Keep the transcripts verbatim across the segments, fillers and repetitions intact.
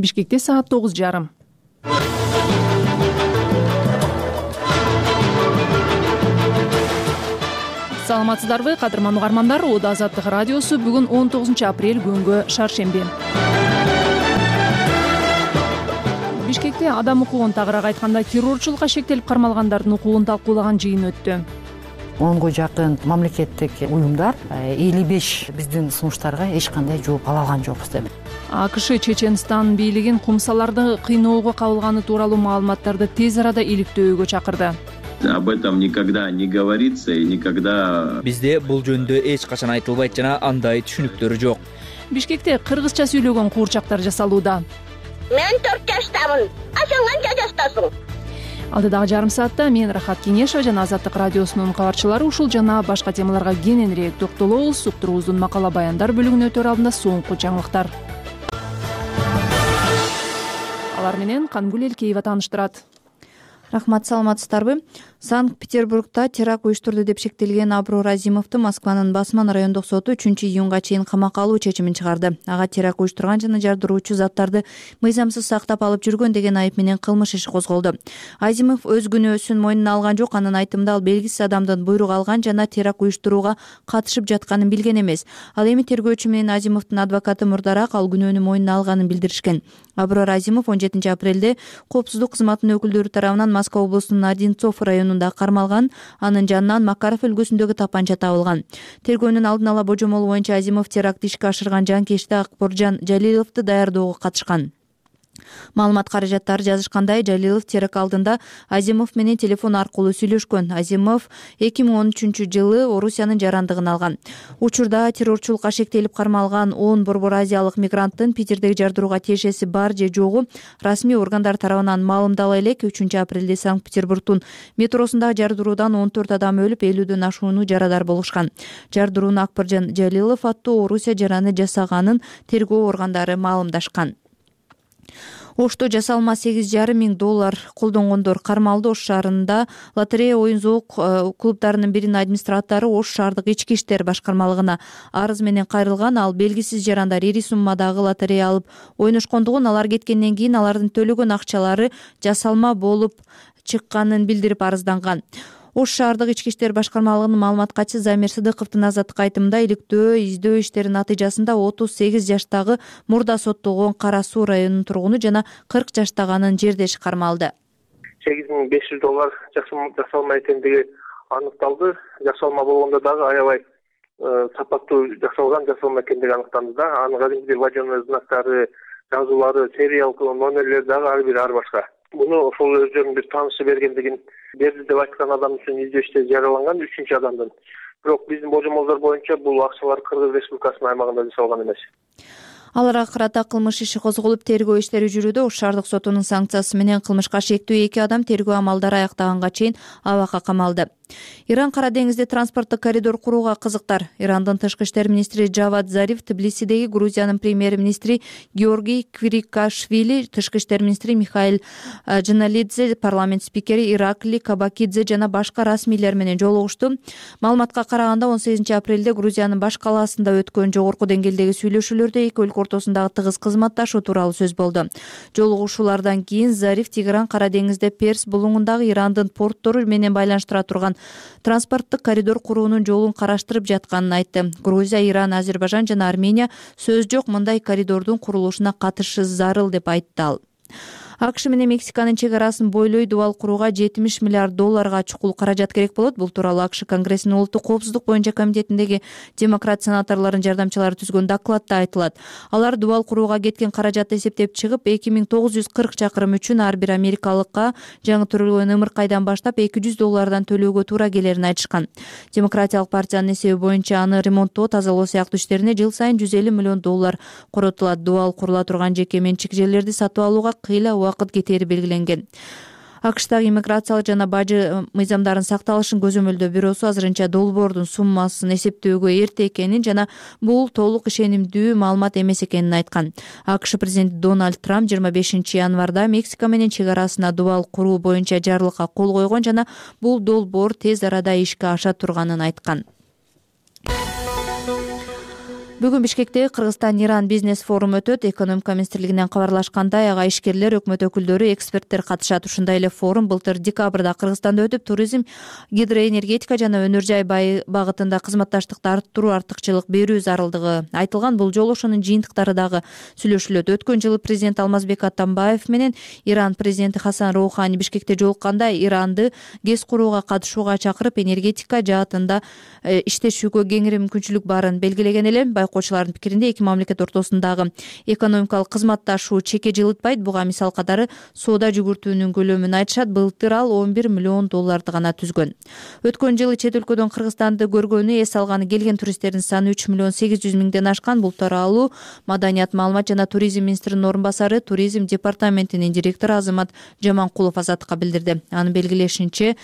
Бишкекте саат тогуз жарым. Саламатсыздарбы, кадырман угармандар. Ода Азаттык радиосу бүгүн он тогузунчу апрель күнгө шаршемби. Бишкекте адам укугун, тагыраак айтканда террорчулукка шектелип кармалгандардын укугун талкуулаган жыйын өттү. онго жакын мамлекеттик уюмдар элүү беш биздин сунуштарга эч кандай жооп ала алган жокпуз деп. АКШ Чеченстан бийлигин кумсаларды кыйноого кабылганы тууралуу маалыматтарды тез арада иликтөөгө чакырды. Об этом никогда не говорится и никогда. Бизде бул жөнүндө эч качан айтылбайт жана андай түшүнүктөр жок. Бишкекте кыргызча сүйлөгөн куурчактар жасалууда. Мен төрт жаштамын. Ашаң канча жаштасың? Алдыдагы жарым саатта мен Рахат Кенешова жана Азаттык радиосунун кабарчылары ушул жана башка темаларга кененирээк токтолобуз. Уктуруубуздун макала баяндар бөлүгүнө өтөр алдында соңку жаңылыктар. Алар менен Кангүл Элкеева тааныштырат. Рахмат, саламатсыздарбы? Санкт-Петербургда теракт уюштурду деп шектелген Аброр Азимовду Москванын Басман райондук соту үчүнчү июнга чейин камакка алуу чечимин чыгарды. Ага теракт уюштурган жана жардыруучу заттарды мыйзамсыз сактап алып жүргөн деген айып менен кылмыш иши козголду. Азимов өз күнөөсүн мойнуна алган жок. Анын айтымында ал белгисиз адамдын буйрук алган жана теракт уюштурууга катышып жатканын билген эмес. Ал эми тергөөчү менен Азимовдун адвокаты мурдараак ал күнөөнү мойнуна алганын билдиришкен. Аброр Азимов он жетинчи апрелде коопсуздук кызматынын өкүлдөрү тарабынан Москва облусунун Одинцов районунда кармалган. Анын жанынан Макаров өлкөсүндөгү тапанча табылган. Тергөөнүн алдын ала божомолу боюнча Азимов теракт ишке ашырган жанкечти Акборжан Жалиловду даярдоого катышкан. Маалымат каражаттары жазышкандай, Жалилов теракт алдында Азимов менен телефон аркылуу сүйлөшкөн. Азимов эки миң он үчүнчү жылы Орусиянын жарандыгын алган. Учурда террорчулукка шектелип кармалган он борбор азиялык мигранттын Питердеги жардырууга тиешеси бар же жогу расмий органдар тарабынан маалымдала элек. үчүнчү апрелде Санкт-Петербургдун метросундагы жардыруудан он төрт адам өлүп, элүүдөн ашууну жарадар болушкан. Жардырууну Акборжан Жалилов аттуу Орусия жараны жасаганын тергөө органдары маалымдашкан. Ошто жасалма сегиз жарым миң доллар колдонгондор кармалды. Ош шаарында лотерея оюн зоок клубдарынын биринин администратору Ош шаардык ички иштер башкармалыгына арыз менен кайрылган. Ал белгисиз жарандар ири суммадагы лотерея алып ойношкондугун, алар кеткенден кийин алардын төлөгөн акчалары жасалма болуп чыкканын билдирип арызданган. Ош шаардык ички иштер башкармалыгынын маалымат катчысы Замир Сыдыковдун азаттыкка айтымында иликтөө издөө иштеринин натыйжасында отуз сегиз жаштагы мурда соттолгон Кара Суу районунун тургуну жана кырк жаштагы анын жердеши кармалды. сегиз миң беш жүз доллар жасалма экендиги аныкталды. Жасалма болгондо дагы аябай сапаттуу жасалган жасалма экендиги аныкталды да. Анын кадимки вводённый знактары, жазуулары, сериал номерлери дагы ар бири ар башка. Муну ошол өздөрүнүн бир таанышы бергендигин берди деп айткан адам үчүн издөө иштери жарыяланган үчүнчү адамдын. Бирок биздин божомолдор боюнча бул акчалар Кыргыз Республикасынын аймагында жасалган эмес. Аларга карата кылмыш иши козголуп, тергөө иштери жүрүүдө. Ош шаардык сотунун санкциясы менен кылмышка шектүү эки адам тергөө амалдары аяктаганга чейин абакка камалды. Иран Кара деңизде транспорттук коридор курууга кызыктар. Ирандын тышкы иштер министри Джавад Зариф, Тбилисидеги Грузиянын премьер-министри Георгий Квирикашвили, тышкы иштер министри Михаил Джаналидзе, парламент спикери Иракли Кабакидзе жана башка расмийлер менен жолугушту. Маалыматка караганда он сегизинчи апрелде Грузиянын баш калаасында өткөн жогорку деңгээлдеги сүйлөшүүлөрдө эки өлкө ортосундагы тыгыз кызматташуу тууралуу сөз болду. Жолугушуулардан кийин Зариф Тигран Кара деңизде Перс булуңундагы Ирандын порттору менен байланыштыра турган транспорттук коридор куруунун жолун караштырып жатканын айтты. Грузия, Иран, Азербайжан жана Армения сөз жок мындай коридордун курулушуна катышы зарыл деп айтты ал. АКШ менен Мексиканын чек арасын бойлой дубал курууга жетимиш миллиард долларга чукул каражат керек болот. Бул тууралуу АКШ Конгрессинин улуттук коопсуздук боюнча комитетиндеги демократ сенаторлордун жардамчылары түзгөн докладта айтылат. Алар дубал курууга кеткен каражатты эсептеп чыгып, эки миң тогуз жүз кырк чакырым үчүн ар бир америкалыкка жаңы төрөлгөн ымыркайдан баштап эки жүз доллардан төлөөгө туура келерин айтышкан. Демократиялык партиянын эсеби боюнча аны ремонттоо, тазалоо сыяктуу иштерине жыл сайын жүз элүү миллион доллар коротулат. Дубал курула турган жеке менчик жерлерди сатып алууга кыйла убакыт кетери белгиленген. АКШтагы иммиграциялык жана бажы мыйзамдарын сакталышын көзөмөлдөө бюросу азырынча долбоордун суммасын эсептөөгө эрте экенин жана бул толук ишенимдүү маалымат эмес экенин айткан. АКШ президенти Дональд Трамп жыйырма бешинчи январда Мексика менен чек арасына дубал куруу боюнча жарлыкка кол койгон жана бул долбоор тез арада ишке аша турганын айткан. Бүгүн Бишкектеги Кыргызстан-Иран бизнес форуму өтөт. Экономика министрлигинен кабарлашкандай, ага ишкерлер, өкмөт өкүлдөрү, эксперттер катышат. Ушундай эле форум былтыр декабрда Кыргызстанда өтүп, туризм, гидроэнергетика жана өнөр жай багытында кызматташтыкты арттыруу, артыкчылык берүү зарылдыгы айтылган. Бул жолу ошонун жыйынтыктары дагы сүйлөшүлөт. Өткөн жылы президент Алмазбек Атамбаев менен Иран президенти Хасан Роухани Бишкекте жолукканда Иранды ГЭС курууга катышууга чакырып, энергетика жаатында иштешүүгө кеңири мүмкүнчүлүк барын белгилеген эле. Байкоочулардын пикиринде эки мамлекет ортосундагы экономикалык кызматташуу чекке жылытпайт. Буга мисал катары соода жүгүртүүнүн көлөмүн айтышат. Былтыр ал он бир миллион долларды гана түзгөн. Өткөн жылы чет өлкөдөн Кыргызстанды көргөнү, эс алганы келген туристтердин саны үч миллион сегиз жүз миңден ашкан. Бул тууралуу Маданият, маалымат жана туризм министринин орун басары, туризм департаментинин директору Азамат Жаманкулов Азаттыкка билдирди. Анын белгилешинче,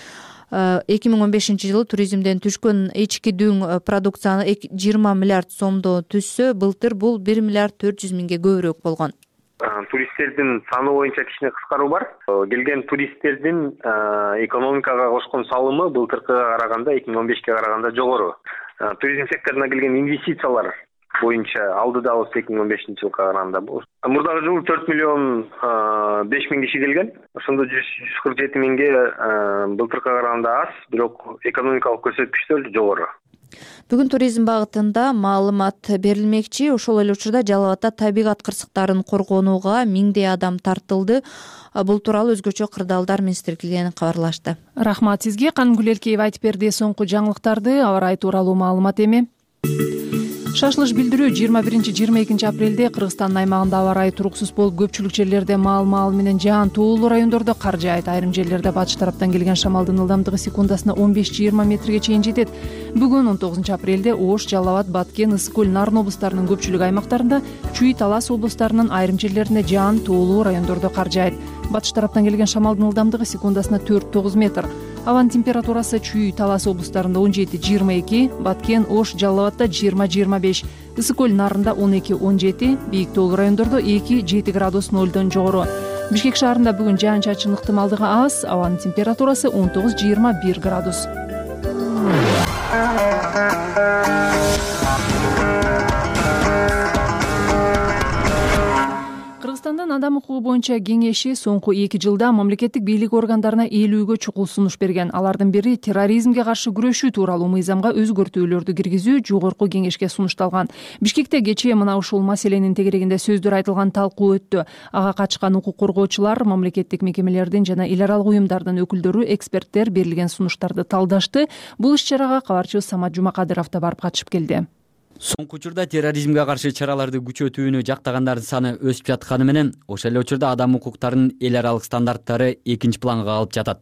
эки миң он бешинчи жылы туризмден түшкөн ички дүң продукцияны жыйырма миллиард сомдо түзсө, былтыр бул бир миллиард төрт жүз миңге көбүрөөк болгон. Туристтердин саны боюнча кичине кыскаруу бар. Келген туристтердин экономикага кошкон салымы былтыркыга караганда, эки миң он бешке караганда жогору. Туризм секторуна келген инвестициялар боюнча алдыдабыз эки миң он бешинчи жылга караганда. Мурдагы жылы төрт миллион беш миң киши келген. Ошондо жүз кырк жети миңге былтыркыга караганда аз, бирок экономикалык көрсөткүчтөр жогору. Бүгүн туризм багытында маалымат берилмекчи. Ошол эле учурда Жалал Абадда табигат кырсыктарын коргонууга миңдей адам тартылды. Бул тууралуу өзгөчө кырдаалдар министрлигинен кабарлашты. Рахмат сизге. Канымгүл Элкеева айтып берди соңку жаңылыктарды. Аба ырайы тууралуу маалымат эми. Шашылыш билдирүү жыйырма биринчи жыйырма экинчи апрелде Кыргызстандын аймагында аба ырайы туруксуз болуп, көпчүлүк жерлерде маал-маал менен жаан туулуу райондордо кар жаайт. Айрым жерлерде батыш тараптан келген шамалдын ылдамдыгы секундасына он беш жыйырма метрге чейин жетет. Бүгүн он тогузунчу апрелде Ош, Жалал Абад, Баткен, Ысык көл, Нарын облустарынын көпчүлүк аймактарында, Чүй, Талас облустарынын айрым жерлеринде жаан туулуу райондордо кар жаайт. Батыш тараптан келген шамалдын ылдамдыгы секундасына төрт тогуз метр. Абанын температурасы Чүй, Талас облустарында он жети жыйырма эки, Баткен, Ош, Жалал Абадда жыйырма жыйырма беш, Ысык көл, Нарында он эки он жети, бийик тоолуу райондордо эки жети градус нолдон жогору. Бишкек шаарында бүгүн жаан-чачын ыктымалдыгы аз, абанын температурасы он тогуз жыйырма бир градус. Кыргызстандын адам укугу боюнча кеңеши соңку эки жылда мамлекеттик бийлик органдарына элүүгө чукул сунуш берген. Алардын бири терроризмге каршы күрөшүү тууралуу мыйзамга өзгөртүүлөрдү киргизүү жогорку кеңешке сунушталган. Бишкекте кечээ мына ушул маселенин тегерегинде сөздөр айтылган, талкуу өттү. Ага качкан укук коргоочулар, мамлекеттик мекемелердин жана эл аралык уюмдардын өкүлдөрү, эксперттер берилген сунуштарды талдашты. Бул иш-чарага кабарчыбыз Самат Жумакадыров да барып катышып келди. Соңку учурда терроризмге каршы чараларды күчөтүүнү жактагандардын саны өсүп жатканы менен, ошол эле учурда адам укуктарынын эл аралык стандарттары экинчи планга калып жатат.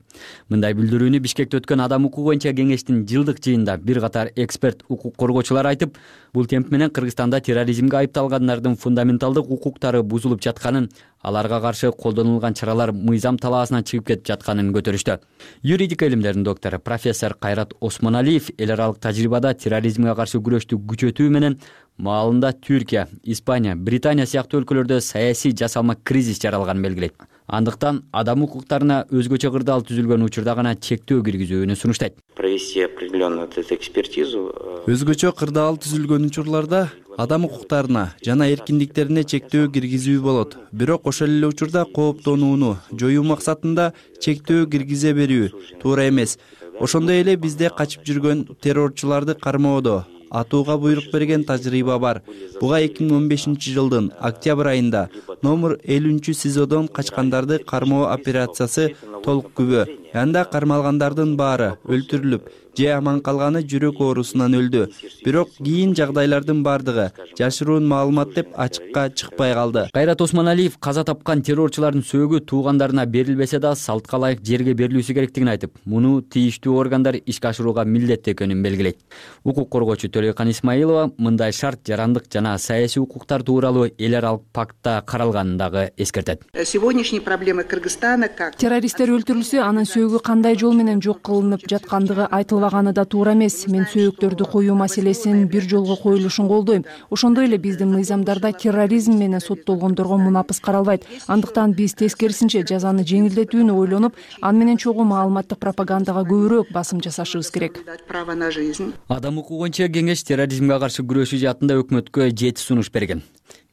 Мындай билдирүүнү Бишкекте өткөн адам укугу боюнча кеңештин жылдык жыйынында бир катар эксперт, укук коргоочулар айтып, бул темп менен Кыргызстанда терроризмге айыпталгандардын фундаменталдык укуктары бузулуп жатканын, аларга каршы колдонулган чаралар мыйзам талаасынан чыгып кетип жатканын көтөрүштү. Юридика илимдеринин доктору профессор Кайрат Осмоналиев эл аралык тажрыйбада терроризмге каршы күрөштү күчөтүү менен маалында Түркия, Испания, Британия сыяктуу өлкөлөрдө саясий жасалма кризис жаралганын белгилейт. Андыктан адам укуктарына өзгөчө кырдаал түзүлгөн учурда гана чектөө киргизүүнү сунуштайт. Провести определенную экспертизу. Өзгөчө кырдаал түзүлгөн учурларда адам укуктарына жана эркиндиктерине чектөө киргизүү болот. Бирок ошол эле учурда кооптонууну жоюу максатында чектөө киргизе берүү туура эмес. Ошондой эле бизде качып жүргөн террорчуларды кармоодо атууга буйрук берген тажрыйба бар. Буга эки миң он бешинчи жылдын октябрь айында номер элүүнчү СИЗОдон качкандарды кармоо операциясы толук күбө. Анда кармалгандардын баары өлтүрүлүп, же аман калганы жүрөк оорусунан өлдү. Бирок кийин жагдайлардын бардыгы жашыруун маалымат деп ачыкка чыкпай калды. Кайрат Осмоналиев каза тапкан террорчулардын сөөгү туугандарына берилбесе да салтка ылайык жерге берилүүсү керектигин айтып, муну тийиштүү органдар ишке ашырууга милдеттүү экенин белгилейт. Укук коргоочу Төлөйкан Исмаилова мындай шарт жарандык жана саясий укуктар тууралуу эл аралык пактта каралганын дагы эскертет. Сегодняшние проблемы Кыргызстана как террористтер өлтүрүлсө анын сөөгү кандай жол менен жок кылынып жаткандыгы айтылбаганы да туура эмес. Мен сөөктөрдү коюу маселесин бир жолго коюлушун колдойм. Ошондой эле биздин мыйзамдарда терроризм менен соттолгондорго мунапыс каралбайт. Андыктан биз тескерисинче жазаны жеңилдетүүнү ойлонуп, аны менен чогуу маалыматтык пропагандага көбүрөөк басым жасашыбыз керек. Адам укугу боюнча кеңеш терроризмге каршы күрөшүү жаатында өкмөткө жети сунуш берген.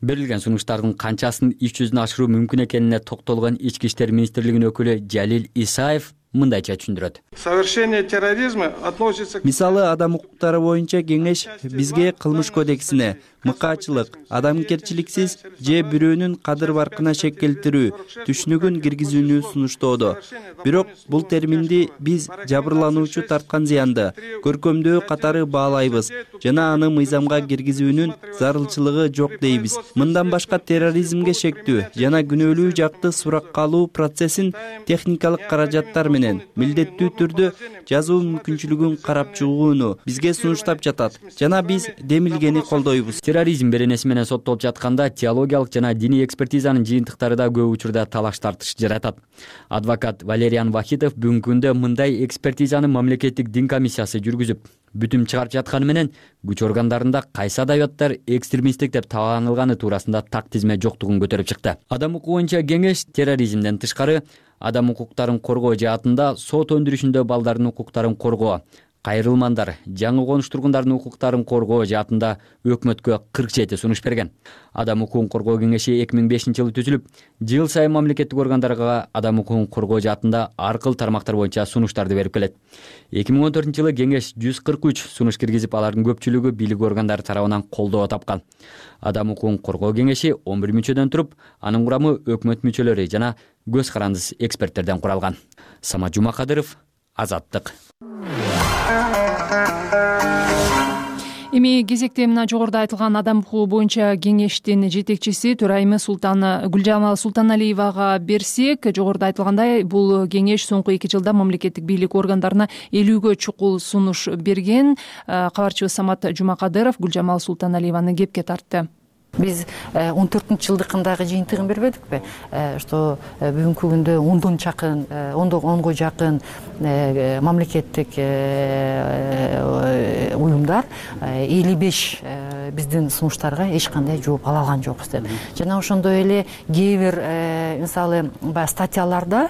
Берилген сунуштардын канчасын иш жүзүнө ашыруу мүмкүн экенине токтолгон Ички иштер министрлигинин өкүлү Жалил Исаев мындайча түшүндүрөт. Совершение терроризма относится к... Мисалы, адам укуктары боюнча кеңеш бизге кылмыш кодексине мыкаачылык, адамгерчиликсиз же бирөөнүн кадыр баркына шек келтирүү түшүнүгүн киргизүүнү сунуштоодо. Бирок бул терминди биз жабырлануучу тарткан зыянды көркөмдөө катары баалайбыз жана аны мыйзамга киргизүүнүн зарылчылыгы жок дейбиз. Мындан башка терроризмге шектүү жана күнөөлүү жакты суракка алуу процессин техникалык каражаттар менен милдеттүү түрдө жазуу мүмкүнчүлүгүн карап чыгууну бизге сунуштап жатат жана биз демилгени колдойбуз. Терроризм беренеси менен соттолуп жатканда теологиялык жана диний экспертизанын жыйынтыктары да көп учурда талаш тартыш жаратат. Адвокат Валериан Вахитов бүгүнкү күндө мындай экспертизаны мамлекеттик дин комиссиясы жүргүзүп, бүтүм чыгарып жатканы менен күч органдарында кайсы адабияттар экстремисттик деп таанылганы туурасында так тизме жоктугун көтөрүп чыкты. Адам укугу боюнча кеңеш терроризмден тышкары адам укуктарын коргоо жаатында сот өндүрүшүндө балдардын укуктарын коргоо, кайрылмандар, жаңы конуш тургундардын укуктарын коргоо жаатында өкмөткө кырк жети сунуш берген. Адам укугун коргоо кеңеши эки миң бешинчи жылы түзүлүп, жыл сайын мамлекеттик органдарга адам укугун коргоо жаатында ар кыл тармактар боюнча сунуштарды берип келет. эки миң он төртүнчү жылы кеңеш жүз кырк үч сунуш киргизип, алардын көпчүлүгү бийлик органдары тарабынан колдоо тапкан. Адам укугун коргоо кеңеши он бир мүчөдөн туруп, анын курамы өкмөт мүчөлөрү жана көз карандыс эксперттерден куралган. Самат Жумакадыров, Азаттык. Эми кезекте мына жогоруда айтылган адам укугу боюнча кеңештин жетекчиси төрайымы Султан Гүлжамал Султаналиевага берсек, жогоруда айтылгандай, бул кеңеш соңку эки жылда мамлекеттик бийлик органдарына элүүгө чукул сунуш берген. Кабарчыбыз Самат Жумакадыров Гүлжамал Султаналиеваны кепке тартты. Биз он төртүнчү жылдыкындагы жыйынтыгын бербедикпи? Что бүгүнкү күндө ондон чакын, онго жакын мамлекеттик уюмдар элүү беш биздин сунуштарга эч кандай жооп ала алган жокпуз деп. Жана ошондой эле кээ бир мисалы баягы статьяларда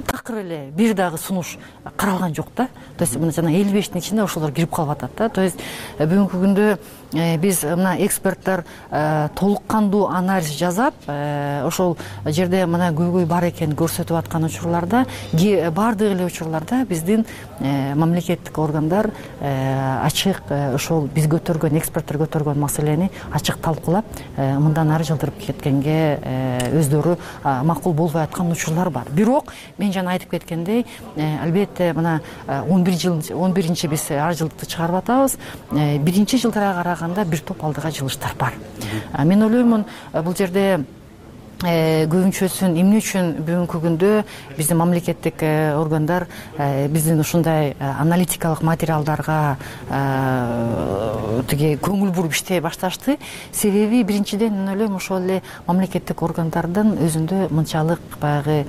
такыр эле бир дагы сунуш каралган жок да. То есть мына жана элүү бештин ичинде ошолор кирип калып атат да. То есть бүгүнкү күндө биз мына эксперттер толук кандуу анализ жасап, ошол жерде мына көйгөй бар экенин көрсөтүп аткан учурларда, баардык эле учурларда биздин мамлекеттик органдар ачык ошол биз көтөргөн, эксперттер көтөргөн маселени ачык талкуулап, мындан ары жылдырып кеткенге өздөрү макул болбой аткан учурлар бар. Бирок мен жана айтып кеткендей, албетте мына он бир жыл он биринчи биз ар жылдыкты чыгарып атабыз. Биринчи жылдарга караганда бир топ алдыга жылыштар бар. Мен ойлоймун, бул жерде көбүнчөсүн эмне үчүн бүгүнкү күндө биздин мамлекеттик органдар биздин ушундай аналитикалык материалдарга тиги көңүл буруп иштей башташты? Себеби биринчиден мен ойлойм, ошол эле мамлекеттик органдардын өзүндө мынчалык баягы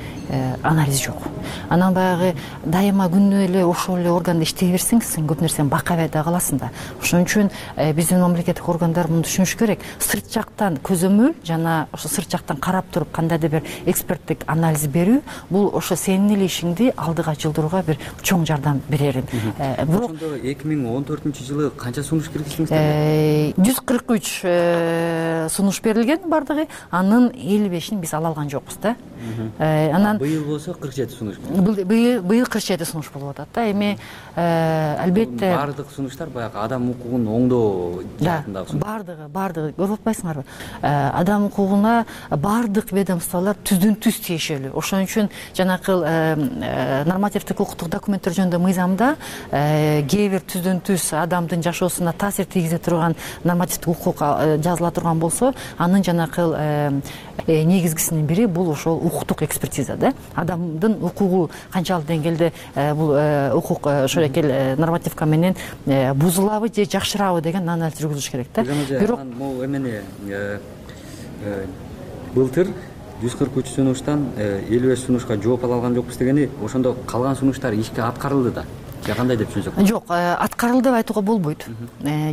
анализ жок. Анан баягы дайыма күнөө эле ошол эле органда иштей берсең, сен көп нерсени бакабай да каласың да. Ошон үчүн биздин мамлекеттик органдар муну түшүнүш керек. Сырт жактан көзөмөл жана ошо сырт жактан карап туруп кандайдыр бир эксперттик анализ берүү, бул ошо сенин эле ишиңди алдыга жылдырууга бир чоң жардам берери. Бирок эки миң он төртүнчү жылы канча сунуш киргиздиңиздер? жүз кырк үч сунуш берилген бардыгы, анын элүү бешин биз ала алган жокпуз да. Анан быйыл болсо кырк жети сунуш. Быйыл кырк жети сунуш болуп атат да. Эми албетте бардык сунуштар баягы адам укугун оңдоо жаатындагы сунуш. Бардыгы, бардыгы көрүп атпайсыңарбы? Адам укугуна бардык ведомстволор түздөн түз тиешелүү. Ошон үчүн жанакы нормативдик укуктук документтер жөнүндө мыйзамда кээ бир түздөн түз адамдын жашоосуна таасир тийгизе турган нормативдик укук жазыла турган болсо, анын жанакы негизгисинин бири бул ошол укуктук экспертиза да. Адамдын укугу канчалык деңгээлде бул укук ошол эки нормативка менен бузулабы же жакшырабы деген анализ жүргүзүш керек да. Бирок бул эмени былтыр жүз кырк үч сунуштан элүү беш сунушка жооп ала алган жокпуз дегени ошондо калган сунуштар ишке аткарылды да же кандай деп түшүнсөк? Жок, аткарылды деп айтууга болбойт.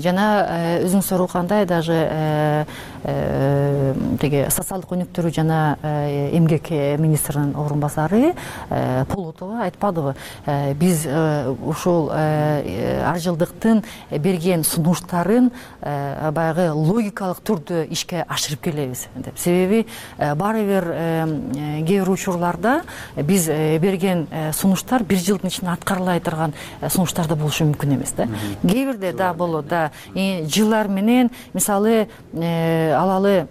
Жана өзүңүз сурагандай даже теги социалдык өнүктүрүү жана эмгек министринин орун басары Полотова айтпадыбы, биз ушул ар жылдыктын берген сунуштарын баягы логикалык түрдө ишке ашырып келебиз деп. Себеби баары бир кээ бир учурларда биз берген сунуштар бир жылдын ичинде аткарылбай турган сунуштар да болушу мүмкүн эмес да. Кээ бирде да болот да. Жылдар менен мисалы алалы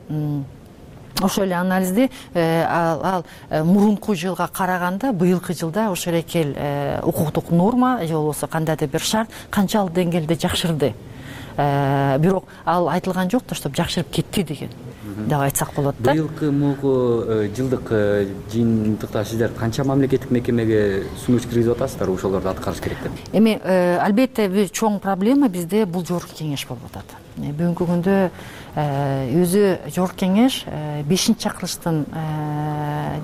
ошол эле анализди ал мурунку жылга караганда быйылкы жылда ошол эле укуктук норма же болбосо кандайдыр бир шарт канчалык деңгээлде жакшырды. Бирок ал айтылган жок да, чтобы жакшырып кетти деген деп айтсак болот да. Быйылкы мугу жылдык жыйынтыкта сиздер канча мамлекеттик мекемеге сунуш киргизип атасыздар, ошолорду аткарыш керек деп? Эми албетте бир чоң проблема бизде бул жогорку кеңеш болуп атат. Бүгүнкү күндө өзү жогорку кеңеш бешинчи чакырылыштын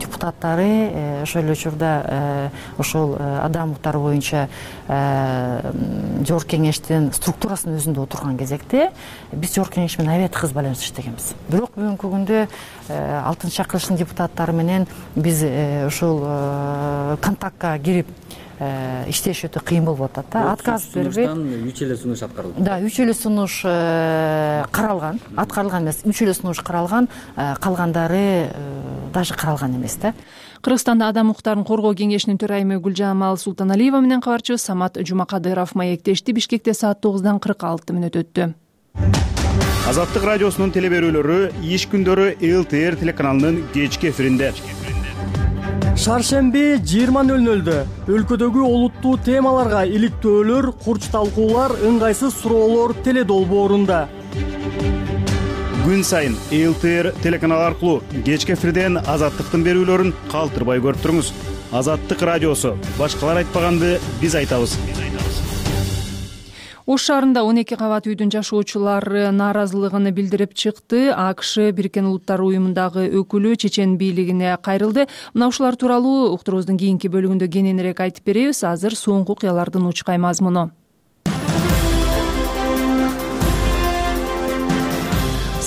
депутаттары ошол эле учурда ошол адам укуктары боюнча жогорку кеңештин структурасынын өзүндө отурган кезекте биз жогорку кеңеш менен аябай тыгыз байланыш иштегенбиз. Бирок бүгүнкү күндө алтынчы чакырылыштын депутаттары менен биз ошол контактка кирип иштеш өтө кыйын болуп атат да. Отказ бербейт. үч эле сунуш аткарылды. Да, үч эле сунуш каралган, аткарылган эмес, үч эле сунуш каралган, калгандары даже каралган эмес да. Кыргызстанда адам укуктарын коргоо кеңешинин төрайымы Гүлжамал Султаналиева менен кабарчы Самат Жумакадыров маектешти. Бишкекте саат тогуздан кырк алты мүнөт өттү. Азаттык радиосунун теле берүүлөрү иш күндөрү эл тэ эр телеканалынын кечки эфиринде. Шаршемби жыйырма нөл нөлдө өлкөдөгү олуттуу темаларга иликтөөлөр, курч талкуулар, ыңгайсыз суроолор теле долбоорунда. Күн сайын эл тэ эр телеканалы аркылуу кечки эфирден Азаттыктын берүүлөрүн калтырбай көрүп туруңуз. Азаттык радиосу. Башкалар айтпаганды биз айтабыз. Ош шаарында он эки кабат үйдүн жашоочулары нааразылыгын билдирип чыкты. АКШ Бириккен Улуттар уюмундагы өкүлү чечен бийлигине кайрылды. Мына ушулар тууралуу уктуруубуздун кийинки бөлүгүндө кененирээк айтып беребиз. Азыр соңку окуялардын учкай мазмуну.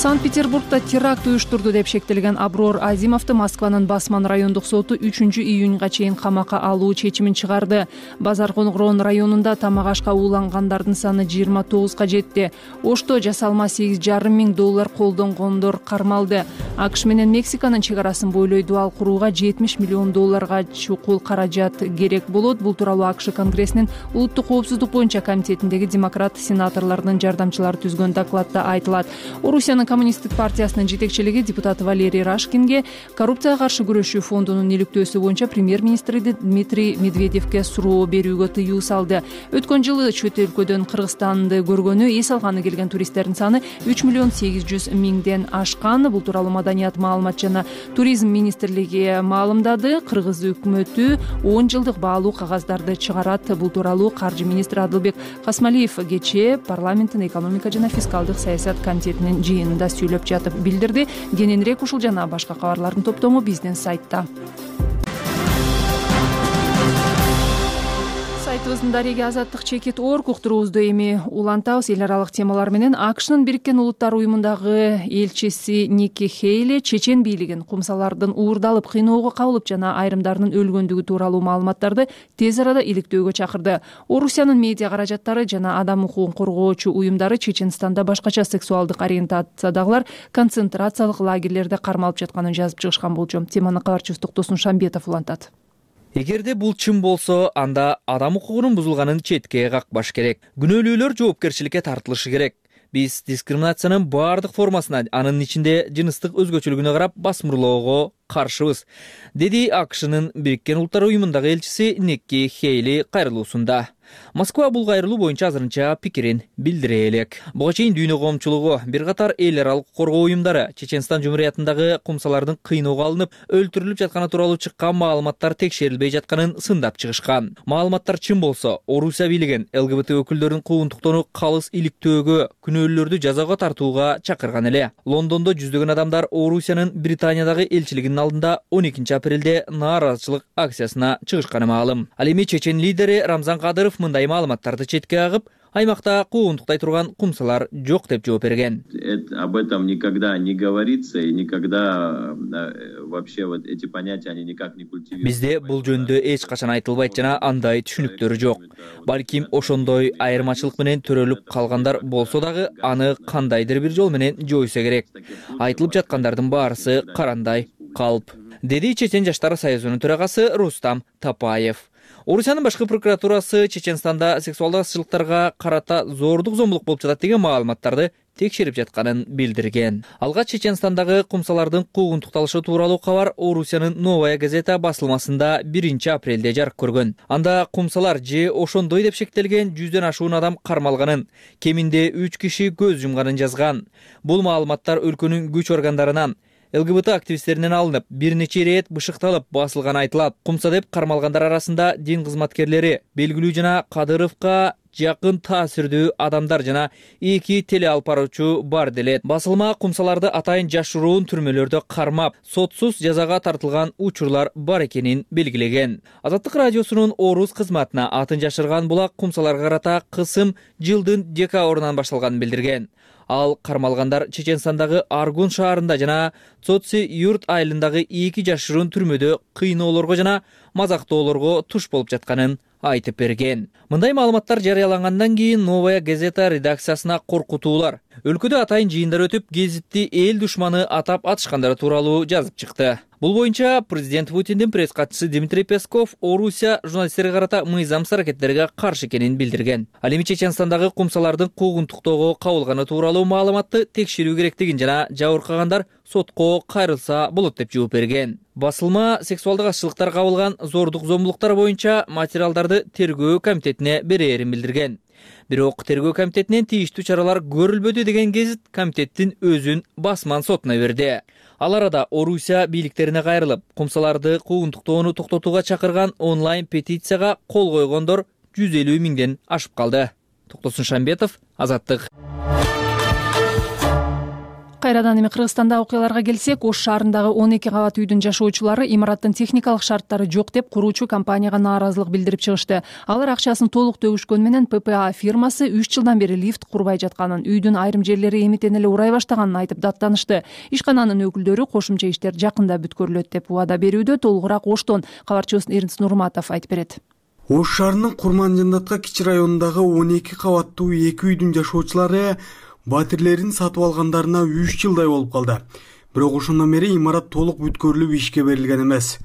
Санкт-Петербургда теракт уюштурду деп шектелген Аброр Азимовду Москванын Басман райондук соту үчүнчү июнга чейин камакка алуу чечимин чыгарды. Базарконгрон районунда тамак ашка уулангандардын саны жыйырма тогузга жетти. Ошто жасалма сегиз жарым миң доллар колдонгондор кармалды. АКШ менен Мексиканын чек арасын бойлой дуал курууга жетимиш миллион долларга чукул каражат керек болот. Бул тууралуу АКШ Конгрессинин улуттук коопсуздук боюнча комитетиндеги демократ сенаторлордун жардамчылары түзгөн докладда айтылат. Орусиянын Коммунисттик партиясынын жетекчилиги депутат Валерий Рашкинге коррупцияга каршы күрөшүү фондунун иликтөөсү боюнча премьер-министри Дмитрий Медведевке суроо берүүгө тыюу салды. Өткөн жылы чөт өлкөдөн Кыргызстанды көргөнү, эс алганы келген туристтердин саны үч миллион сегиз жүз миңден ашкан. Бул тууралуу Маданият, маалымат жана туризм министрлиги маалымдады. Кыргыз өкмөтү он жылдык баалуу кагаздарды чыгарат. Бул тууралуу каржы министри Адылбек Касмалиев кечээ парламенттин экономика жана фискалдык саясат комитетинин жыйынында сүйлөп жатып билдирди. Кененирээк ушул жана башка кабарлардын топтому биздин сайтта. Сайтыбыздын дареги азаттык чекит орг уктуруубузду эми улантабыз. Эл аралык темалар менен АКШнын Бириккен Улуттар уюмундагы элчиси Ники Хейли чечен бийлигин кумсалардын уурдалып, кыйноого кабылып жана айрымдарынын өлгөндүгү тууралуу маалыматтарды тез арада иликтөөгө чакырды. Орусиянын медиа каражаттары жана адам укугун коргоочу уюмдары Чеченстанда башкача сексуалдык ориентациядагылар концентрациялык лагерлерде кармалып жатканын жазып чыгышкан болчу. Теманы кабарчыбыз Токтосун Шамбетов улантат. Эгерде бул чын болсо, анда адам укугунун бузулганын четке какпаш керек. Күнөөлүүлөр жоопкерчиликке тартылышы керек. Биз дискриминациянын баардык формасына, анын ичинде жыныстык өзгөчөлүгүнө карап басмырлоого каршыбыз, деди АКШнын Бириккен Улуттар уюмундагы элчиси Никки Хейли кайрылуусунда. Москва бул кайрылуу боюнча азырынча пикирин билдире элек. Буга чейин дүйнө коомчулугу, бир катар эл аралык коргоо уюмдары Чеченстан Жумуриятындагы кумсалардын кыйноого алынып, өлтүрүлүп жатканы тууралуу чыккан маалыматтар текшерилбей жатканын сындап чыгышкан. Маалыматтар чын болсо, Орусия бийлигин ЛГБТ өкүлдөрүнүн куугунтуктоону калыс иликтөөгө, күнөөлүүлөрдү жазага тартууга чакырган эле. Лондондо жүздөгөн адамдар Орусиянын Британиядагы элчилигинин алдында он экинчи апрелде нааразычылык акциясына чыгышканы маалым. Ал эми чечен лидери Рамзан Кадыров мындай маалыматтарды четке агып, аймакта куугунтуктай турган кумсалар жок деп жооп берген. Об этом никогда не говорится и никогда вообще вот эти понятия они никак не культивируются. Бизде бул жөнүндө эч качан айтылбайт жана андай түшүнүктөр жок. Балким ошондой айырмачылык менен төрөлүп калгандар болсо дагы аны кандайдыр бир жол менен жойсо керек. Айтылып жаткандардын баарысы карандай калп, деди Чечен жаштар союзунун төрагасы Рустам Тапаев. Орусиянын башкы прокуратурасы Чеченстанда сексуалдык азчылыктарга карата зордук зомбулук болуп жатат деген маалыматтарды текшерип жатканын билдирген. Алгач Чеченстандагы кумсалардын куугунтукталышы тууралуу кабар Орусиянын Новая газета басылмасында биринчи апрелде жарык көргөн. Анда кумсалар же ошондой деп шектелген жүздөн ашуун адам кармалганын, кеминде үч киши көз жумганын жазган. Бул маалыматтар өлкөнүн күч органдарынан, ЛГБТ активисттеринен алынып, бир нече ирет бышыкталып басылган айтылат. Кумса деп кармалгандар арасында дин кызматкерлери, белгилүү жана Кадыровго жакын таасирдүү адамдар жана эки теле алып баруучу бар делет. Басылма кумсаларды атайын жашыруун түрмөлөрдө кармап, сотсуз жазага тартылган учурлар бар экенин белгилеген. Азаттык радиосунун Орус кызматына атын жашырган булак кумсаларга карата кысым жылдын декабрынан башталганын билдирген. Ал кармалгандар Чеченстандагы Аргун шаарында жана Цоци юрт айылындагы эки жашыруун түрмөдө кыйноолорго жана мазактоолорго туш болуп жатканын айтып берген. Мындай маалыматтар жарыялангандан кийин Новая газета редакциясына коркутуулар, өлкөдө атайын жыйындар өтүп, гезитти эл душманы атап атышкандар тууралуу жазып чыкты. Бул боюнча президент Путиндин пресс катчысы Дмитрий Песков Орусия журналисттерге карата мыйзамсыз аракеттерге каршы экенин билдирген. Ал эми Чеченстандагы кумсалардын куугунтуктоого кабылганы тууралуу маалыматты текшерүү керектигин жана жабыркагандар сотко кайрылса болот деп жооп берген. Басылма сексуалдык азчылыктар кабылган зордук зомбулуктар боюнча материалдарды тергөө комитетине берээрин билдирген. Бирок тергөө комитетинен тийиштүү чаралар көрүлбөдү деген гезит комитеттин өзүн басман сотуна берди. Ал арада Орусия бийликтерине кайрылып, кумсаларды куугунтуктоону токтотууга чакырган онлайн петицияга кол койгондор жүз элүү миңден ашып калды. Токтосун Шамбетов, Азаттык. Кайрадан эми Кыргызстанда окуяларга келсек, Ош шаарындагы он эки кабат үйдүн жашоочулары имараттын техникалык шарттары жок деп куруучу компанияга нааразылык билдирип чыгышты. Алар акчасын толук төгүшкөн менен П П А фирмасы үч жылдан бери лифт курбай жатканын, үйдүн айрым жерлери эмитен эле урай баштаганын айтып даттанышты. Ишкананын өкүлдөрү кошумча иштер жакында бүткөрүлөт деп убада берүүдө. Толугураак Оштон кабарчыбыз Эрнст Нурматов айтып берет. Ош шаарынын Курманжандатка кичи районундагы он эки кабаттуу эки үйдүн жашоочулары батирлерин сатып алгандарына үч жылдай болуп калды. Бирок ошондон бери имарат толук бүткөрүлүп ишке берилген эмес.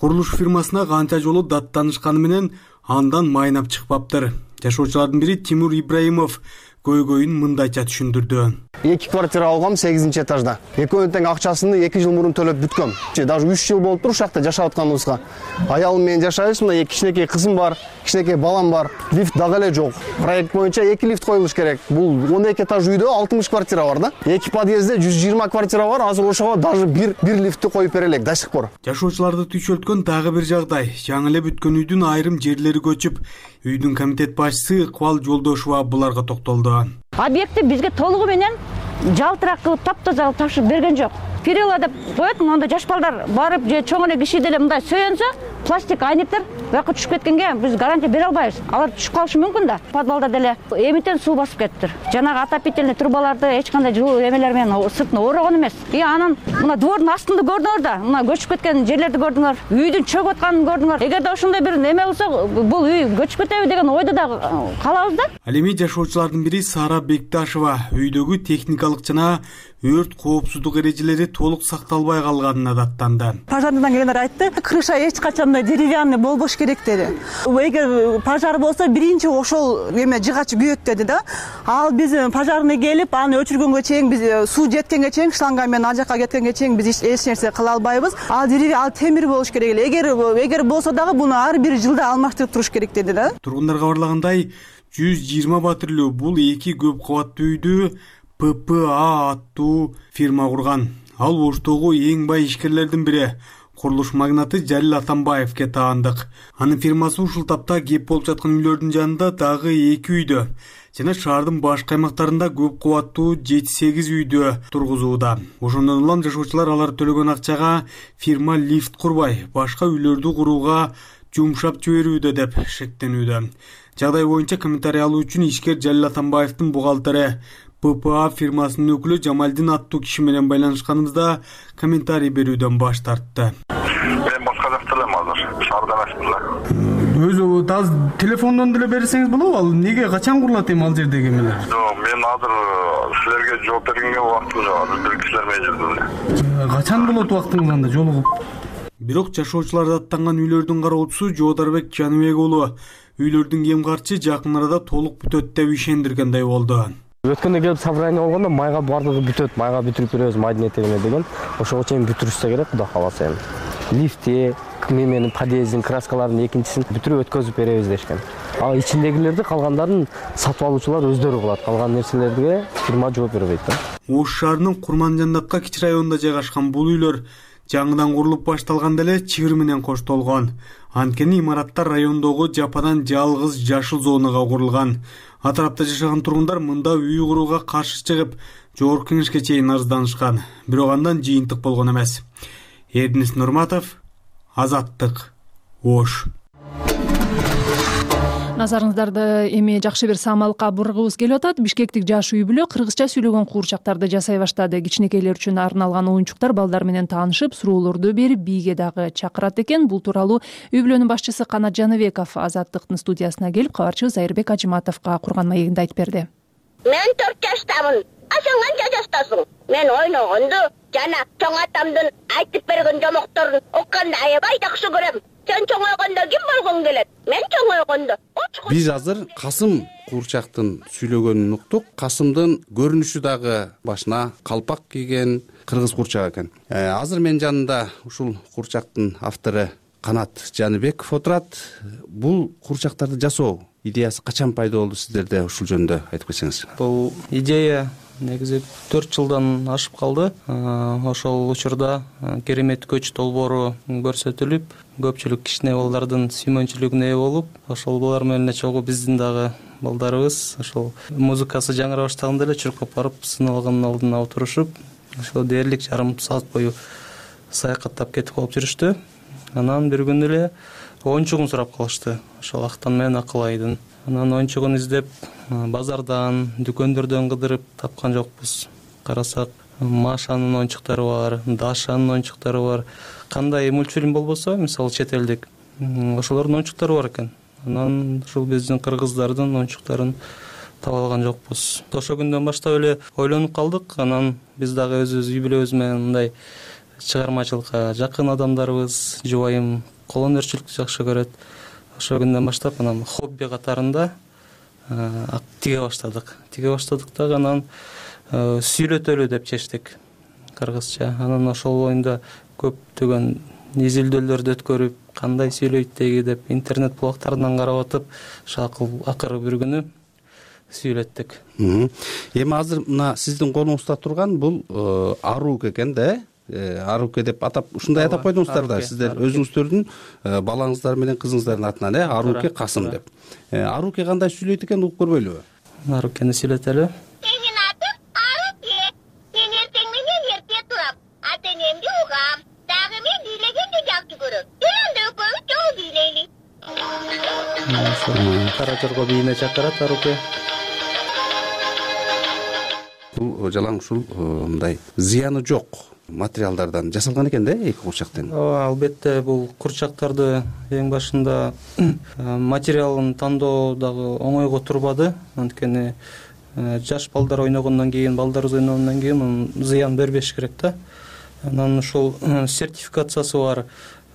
Курулуш фирмасына канча жолу даттанышканы менен андан майнап чыкпаптыр. Жашоочулардын бири Тимур Ибраимов көйгөйүн мындайча түшүндүрдү. эки квартира алгам сегизинчи этажда. Экөөнүн тең акчасын эки жыл мурун төлөп бүткөм. Даже үч жыл болуптур ушул жакта жашап атканыбызга. Аялым менен жашайбыз, мына эки кичинекей кызым бар, кичинекей балам бар. Лифт дагы эле жок. Проект боюнча эки лифт коюлуш керек. Бул он эки этаж үйдө алтымыш квартира бар да. Эки подъездде жүз жыйырма квартира бар. Азыр ошого даже бир бир лифтти коюп бере элек до сих пор. Жашоочуларды түйшөлткөн дагы бир жагдай. Жаңы эле бүткөн үйдүн айрым жерлери көчүп, үйдүн комитет башчысы Ыкбал Жолдошова буларга токтолду. Объектти бизге толугу менен жалтырак кылып таптаза кылып тапшырып берген жок. Перила деп коет, монда жаш балдар барып же чоң эле киши деле мындай сөйөнсө, пластик айнектер бияка түшүп кеткенге биз гарантия бере албайбыз. Алар түшүп калышы мүмкүн да. Подвалда деле эмитен суу басып кетиптир. Жанагы отопительный трубаларды эч кандай жылуу эмелер менен сыртына орогон эмес. И анан мына двордун астында көрдүңөр да, мына көчүп кеткен жерлерди көрдүңөр, үйдүн чөгүп атканын көрдүңөр. Эгерде ошондой бир неме болсо, бул үй көчүп кетеби деген ойдо да калабыз да. Ал эми жашоочулардын бири Сара Бекташева үйдөгү техникалык жана өрт коопсуздук эрежелери толук сакталбай калганына даттанды. Пожарныйдан келгендер айтты, крыша эч качан деревянный болбош керек деди. Эгер пожар болсо биринчи ошол эме жыгач күйөт деди да. Ал биз пожарный келип аны өчүргөнгө чейин биз суу жеткенге чейин шланга менен ал жака кеткенге чейин биз эч нерсе кыла албайбыз. Ал дерево ал темир болуш керек эле. Эгер эгер болсо дагы буну ар бир жылда алмаштырып туруш керек деди да. Тургундар кабарлагандай жүз жыйырма батирлүү бул эки көп кабаттуу үйдү П П А аттуу фирма курган. Ал Оштогу эң бай ишкерлердин бири курулуш магнаты Жалил Атамбаевке таандык. Анын фирмасы ушул тапта кеп болуп жаткан үйлөрдүн жанында дагы эки үйдө жана шаардын башка аймактарында көп кабаттуу жети сегиз үйдө тургузууда. Ошондон улам жашоочулар алар төлөгөн акчага фирма лифт курбай, башка үйлөрдү курууга жумшап жиберүүдө деп шектенүүдө. Жагдай боюнча комментарий алуу үчүн ишкер Жалил Атамбаевдин бухгалтери П П А фирмасынын өкүлү Жамалдин аттуу киши менен байланышканыбызда комментарий берүүдөн баш тартты. Мен башка жакта элем азыр, шаарда эмесмин да. Өзү таз телефондон деле берсеңиз болобу? Ал неге качан курулат эми ал жердеги эмелер? Жок, мен азыр силерге жооп бергенге убактым жок, азыр бир кишилер менен жүрдүм. Качан болот убактыңыз анда жолугуп? Бирок жашоочулар аттанган үйлөрдүн кароочусу Жоодарбек Жаныбек уулу үйлөрдүн кем карчы жакын арада толук бүтөт деп ишендиргендей болду. Өткөндө келип собрание болгондо майга бардыгы бүтөт, майга бүтүрүп беребиз майдын этегине деген. Ошого чейин бүтүрүшсө керек, Кудай кааласа эми. Лифти, менин подъездин краскаларынын экинчисин бүтүрүп өткөзүп беребиз дешкен. А ичиндегилерди калгандарын сатып алуучулар өздөрү кылат. Калган нерселерге фирма жооп бербейт да. Ош шаарынын Курманжандатка кичи районунда жайгашкан бул үйлөр жаңыдан курулуп башталганда эле чыгыр менен коштолгон. Анткени имараттар райондогу жападан жалгыз жашыл зонага курулган. Атарапта жашаган тургундар мында үй курууга каршы чыгып, жогорку кеңешке чейин арызданышкан. Бирок андан жыйынтык болгон эмес. Эрдинис Нурматов, Азаттык, Ош. Назарыңыздарды эми жакшы бир самалыкка бургубуз келип атат. Бишкектик жаш үй бүлө кыргызча сүйлөгөн куурчактарды жасай баштады. Кичинекейлер үчүн арналган оюнчуктар балдар менен таанышып, суроолорду берип, бийге дагы чакырат экен. Бул тууралуу үй бүлөнүн башчысы Канат Жаныбеков Азаттыктын студиясына келип, кабарчыбыз Айырбек Ажыматовго курган маегинде айтып берди. Мен төрт жаштамын. А сен канча жаштасың? Мен ойногонду жана чоң атамдын айтып берген жомокторун укканды аябай жакшы көрөм. Сен чоңойгондо ким болгоң келет? Мен чоңойгондо. Биз азыр Касым куурчактын сүйлөгөнүн уктук. Касымдын көрүнүшү дагы башына калпак кийген кыргыз куурчак экен. Азыр менин жанымда ушул куурчактын автору Канат Жаныбеков отурат. Бул куурчактарды жасоо идеясы качан пайда болду сиздерде, ушул жөнүндө айтып кетсеңиз. Бул идея негизи төрт жылдан ашып калды. Ошол учурда керемет көч долбоору көрсөтүлүп, көпчүлүк кичине балдардын сүймөнчүлүгүнө ээ болуп, ошол балдар менен чогуу биздин дагы балдарыбыз ошол музыкасы жаңыра баштаганда эле чуркап барып сыналгандын алдына отурушуп, ошол дээрлик жарым саат бою саякаттап кетип калып жүрүштү. Анан бир күнү эле оюнчугун сурап калышты. Ошол Актан менен Акылайдын. Анан оюнчугун издеп, базардан, дүкөндөрдөн кыдырып тапкан жокпуз. Карасак, Машанын оюнчуктары бар, Дашанын оюнчуктары бар. Кандай мультфильм болбосо, мисалы чет элдик, ошолордун оюнчуктары бар экен. Анан ушул биздин кыргыздардын оюнчуктарын таба алган жокпуз. Ошол күндөн баштап эле ойлонуп калдык. Анан биз дагы өзүбүз үй бүлөбүз менен мындай чыгармачылыкка жакын адамдарыбыз, жубайым колөнөрчүлүктү жакшы көрөт. Ошол күндөн баштап анан хобби катарында тиге баштадык. Тиге баштадык дагы анан сүйлөтөлү деп чечтик кыргызча. Анан ошол боюнда көптөгөн изилдөөлөрдү өткөрүп, кандай сүйлөйт деги деп интернет блогтарынан карап атып, акыры бир күнү сүйлөттүк. Эми азыр мына сиздин колуңузда турган бул Арук экен да? Аруке деп атап, ушундай атап койдуңуздар да, сиздер өзүңүздөрдүн балаңыздар менен кызыңыздардын атынан, э, Аруке Касым деп. Аруке кандай сүйлөйт экен, угуп көрбөйлүбү? Арукени сүйлөтөлү. Менин атым Аруке. Мен эртең менен эрте турам, ата-энемди угам. Дагы мен бийлегенди жакшы көрөм. Өлөндө экөөбүз чогуу бийлейли. Кара жорго бийине чакырат Аруке. Бул жалаң ушул мындай зыяны жок материалдардан жасалган экен да, эки курчактын. Ооба, албетте бул курчактарды эң башында материалын тандоо дагы оңойго турбады. Анткени жаш балдар ойногондон кийин, балдарыбыз ойногондон кийин зыян бербеш керек да. Анан ушул сертификациясы бар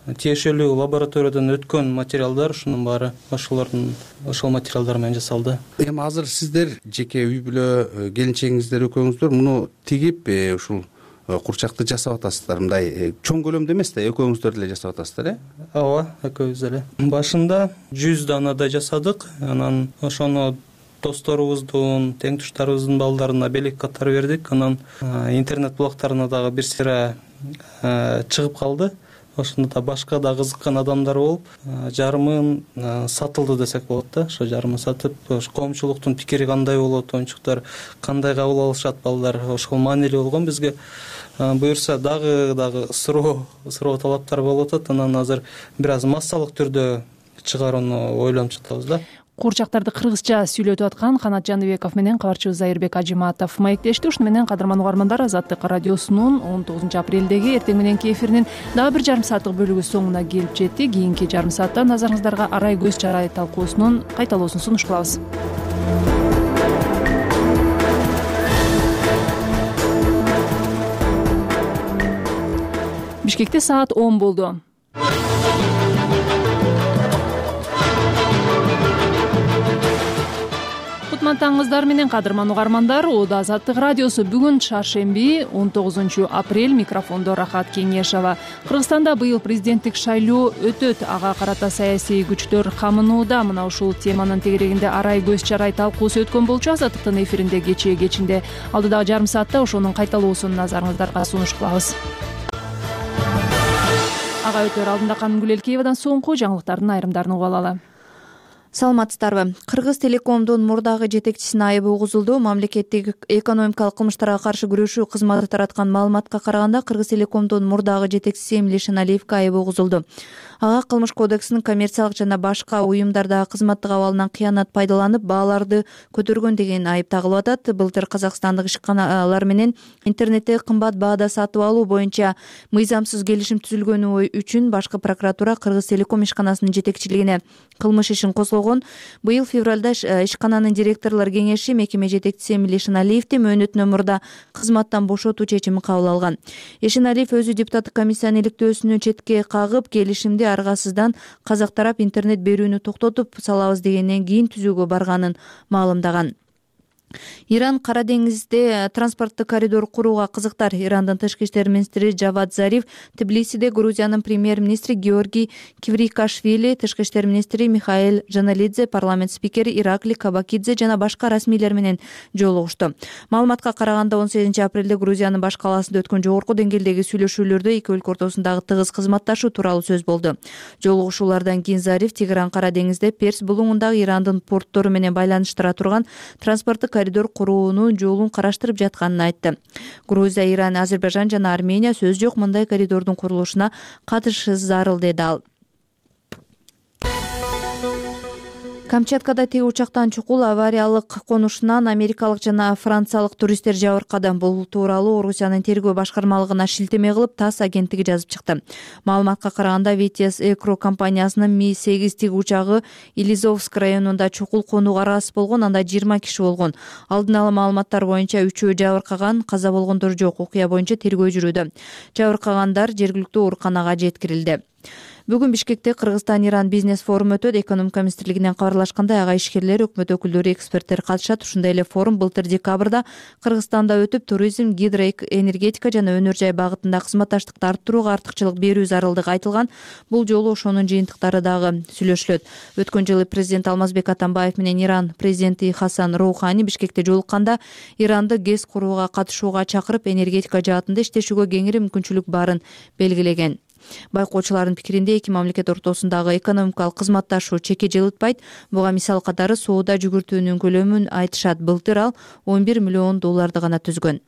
тиешелүү лабораториядан өткөн материалдар, ушунун баары ошолордун ошол материалдар менен жасалды. Эми азыр сиздер жеке үй бүлө келинчегиңиздер экөөңүздөр муну тигип ушул курчакты жасап атасыздар. Мындай чоң көлөмдө эмес да, экөөңүздөр эле жасап атасыздар, э? Ооба, экөөбүз эле. Башында жүз данадай жасадык, анан ошону досторубуздун, тең туштарыбыздын балдарына белек катары бердик. Анан интернет блогторуна дагы бир сыйра чыгып калды. Ошондо да башка да кызыккан адамдар болуп, жарымын сатылды десек болот да. Ошо жарымын сатып, коомчулуктун пикири кандай болот, оюнчуктар кандай кабыл алышат, балдар ошол маанилүү болгон бизге. Буюрса дагы дагы суроо суроо талаптар болуп атат. Анан азыр бир аз массалык түрдө чыгарууну ойлонуп жатабыз да. Курчактарды кыргызча сүйлөтүп аткан Канат Жаныбеков менен кабарчыбыз Айырбек Ажыматов маектешти. Ушуну менен кадырман угармандар, Азаттык радиосунун он тогузунчу апрелдеги эртең мененки эфиринин дагы бир жарым сааттык бөлүгү соңуна келип жетти. Кийинки жарым саатта назарыңыздарга арай көз чарай талкуусунун кайталоосун сунуш кылабыз. Бишкекте саат он болду. Таңыңыздар менен кадырман угармандар, Ода Азаттык радиосу. Бүгүн шаршемби он тогузунчу апрель, микрофондо Рахат Кеңешова. Кыргызстанда быйыл президенттик шайлоо өтөт. Ага карата саясий күчтөр камынууда. Мына ушул теманын тегерегинде арай көз чарай талкуусу өткөн болчу. Азаттыктын эфиринде кечээ кечинде. Алдыдагы жарым саатта ошонун кайталоосун назарыңыздарга сунуш кылабыз. Ага өтөр алдында Канымгүл Элкеевадан соңку жаңылыктардын айрымдарын угуп алалы. Саламатсыздарбы? Кыргыз Телекомдун мурдагы жетекчисине айыбы угузулду. Мамлекеттик экономикалык кылмыштарга каршы күрөшүү кызматы тараткан маалыматка караганда, Кыргыз Телекомдун мурдагы жетекчиси Эмиль Эшеналиевге айыбы угузулду. Ага Кылмыш кодексинин коммерциялык жана башка уюмдардагы кызматтык абалынан кыянат пайдаланып, бааларды көтөргөн деген айып тагылып атат. Былтыр казакстандык ишканалар менен интернетте кымбат баада сатып алуу боюнча мыйзамсыз келишим түзүлгөнү үчүн башкы прокуратура Кыргыз Телеком ишканасынын жетекчилигине кылмыш ишин козгогон. Быйыл февралда ишкананын директорлор кеңеши мекеме жетекчиси Эмиль Эшеналиевди мөөнөтүнөн мурда кызматтан бошотуу чечимин кабыл алган. Эшеналиев өзү депутаттык комиссиянын иликтөөсүнө четке кагып, келишимди аргасыздан казак тарап интернет берүүнү токтотуп салабыз дегенден кийин түзүүгө барганын маалымдаган. Иран Кара деңизде транспорттук коридор курууга кызыктар. Ирандын тышкы иштер министри Жавад Зариф Тбилисиде Грузиянын премьер-министри Георгий Кврикашвили, тышкы иштер министри Михаил Жаналидзе, парламент спикери Иракли Кабакидзе жана башка расмийлер менен жолугушту. Маалыматка караганда, он сегизинчи апрелде Грузиянын баш калаасында өткөн жогорку деңгээлдеги сүйлөшүүлөрдө эки өлкө ортосундагы тыгыз кызматташуу тууралуу сөз болду. Жолугушуулардан кийин Зариф Тегеран Кара деңизде Перс булуңундагы Ирандын порттору менен байланыштыра турган транспорттук коридор куруунун жолун караштырып жатканын айтты. Грузия, Иран, Азербайжан жана Армения сөз жок мындай коридордун курулушуна катышы зарыл, деди ал. Камчаткада теги учактан чукул авариялык конушунан америкалык жана франциялык туристтер жабыркады. Бул тууралуу Орусиянын тергөө башкармалыгына шилтеме кылып ТАСС агенттиги жазып чыкты. Маалыматка караганда, Витес Экро компаниясынын Ми сегиз тиги учагы Илизовск районунда чукул конууга аргасыз болгон, анда жыйырма киши болгон. Алдын ала маалыматтар боюнча үчөө жабыркаган, каза болгондор жок. Окуя боюнча тергөө жүрүүдө. Жабыркагандар жергиликтүү ооруканага жеткирилди. Бүгүн Бишкекте Кыргызстан-Иран бизнес форуму өтөт. Экономика министрлигинен кабарлашкандай, ага ишкерлер, өкмөт өкүлдөрү, эксперттер катышат. Ушундай эле форум былтыр декабрда Кыргызстанда өтүп, туризм, гидроэнергетика жана өнөр жай багытында кызматташтыкты арттырууга артыкчылык берүү зарылдыгы айтылган. Бул жолу ошонун жыйынтыктары дагы сүйлөшүлөт. Өткөн жылы президент Алмазбек Атамбаев менен Иран президенти Хасан Роухани Бишкекте жолукканда, Иранды ГЭС курууга катышууга чакырып, энергетика жаатында иштешүүгө кеңири мүмкүнчүлүк барын белгилеген. Байкоочулардын пикиринде, эки мамлекет ортосундагы экономикалык кызматташуу чекке жылытпайт. Буга мисал катары соода жүгүртүүнүн көлөмүн айтышат. Былтыр ал он бир миллион долларды гана түзгөн.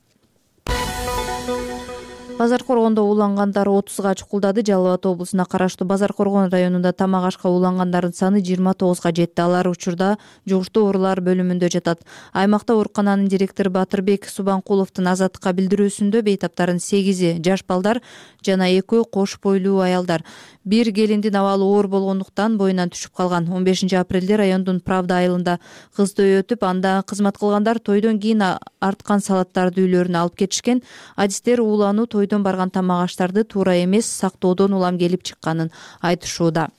Базар Коргондо уулангандар отузга чукулдады. Жалал Абад облусуна караштуу Базар Коргон районунда тамак ашка уулангандардын саны жыйырма тогузга жетти. Алар учурда жугуштуу оорулар бөлүмүндө жатат. Аймакта оорукананын директору Батырбек Субанкуловдун Азаттыкка билдирүүсүндө бейтаптардын сегизи жаш балдар жана экөө кош бойлуу аялдар. Бир келиндин абалы оор болгондуктан боюнан түшүп калган. он бешинчи апрелде райондун Правда айылында кыз той өтүп, анда кызмат кылгандар тойдон кийин арткан салаттарды үйлөрүнө алып кетишкен. Адистер уулануу тойдон өйдөн барган тамак аштарды туура эмес сактоодон улам келип чыкканын айтышууда.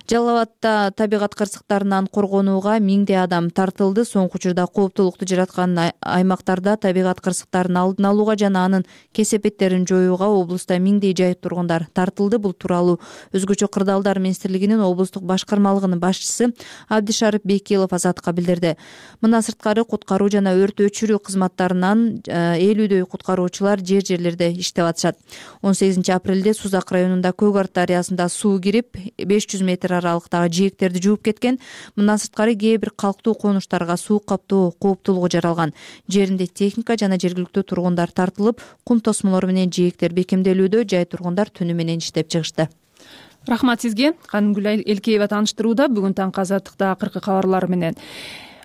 Жалал Абадта табигат кырсыктарынан коргонууга миңдей адам тартылды. Соңку учурда кооптулукту жараткан аймактарда табигат кырсыктарын алдын алууга жана анын кесепеттерин жоюуга облуста миңдей жайыт тургундар тартылды. Бул тууралуу Өзгөчө кырдаалдар министрлигинин облустук башкармалыгынын башчысы Абдишарип Бекилов Азатка билдирди. Мындан сырткары куткаруу жана өрт өчүрүү кызматтарынан элүүдөй куткаруучулар жер жерлерде иштеп атышат. он сегизинчи апрелде Сузак районунда Көк Арт дарыясында суу кирип беш жүз метр аралыктагы жээктерди жууп кеткен. Мындан сырткары кээ бир калктуу конуштарга суу каптоо кооптулугу жаралган. Жеринде техника жана жергиликтүү тургундар тартылып, кум тосмолору менен жээктер бекемделүүдө, жай тургундар түнү менен иштеп чыгышты. Рахмат сизге. Канымгүл Элкеева тааныштырууда бүгүн таңкы Азаттыкта акыркы кабарлар менен.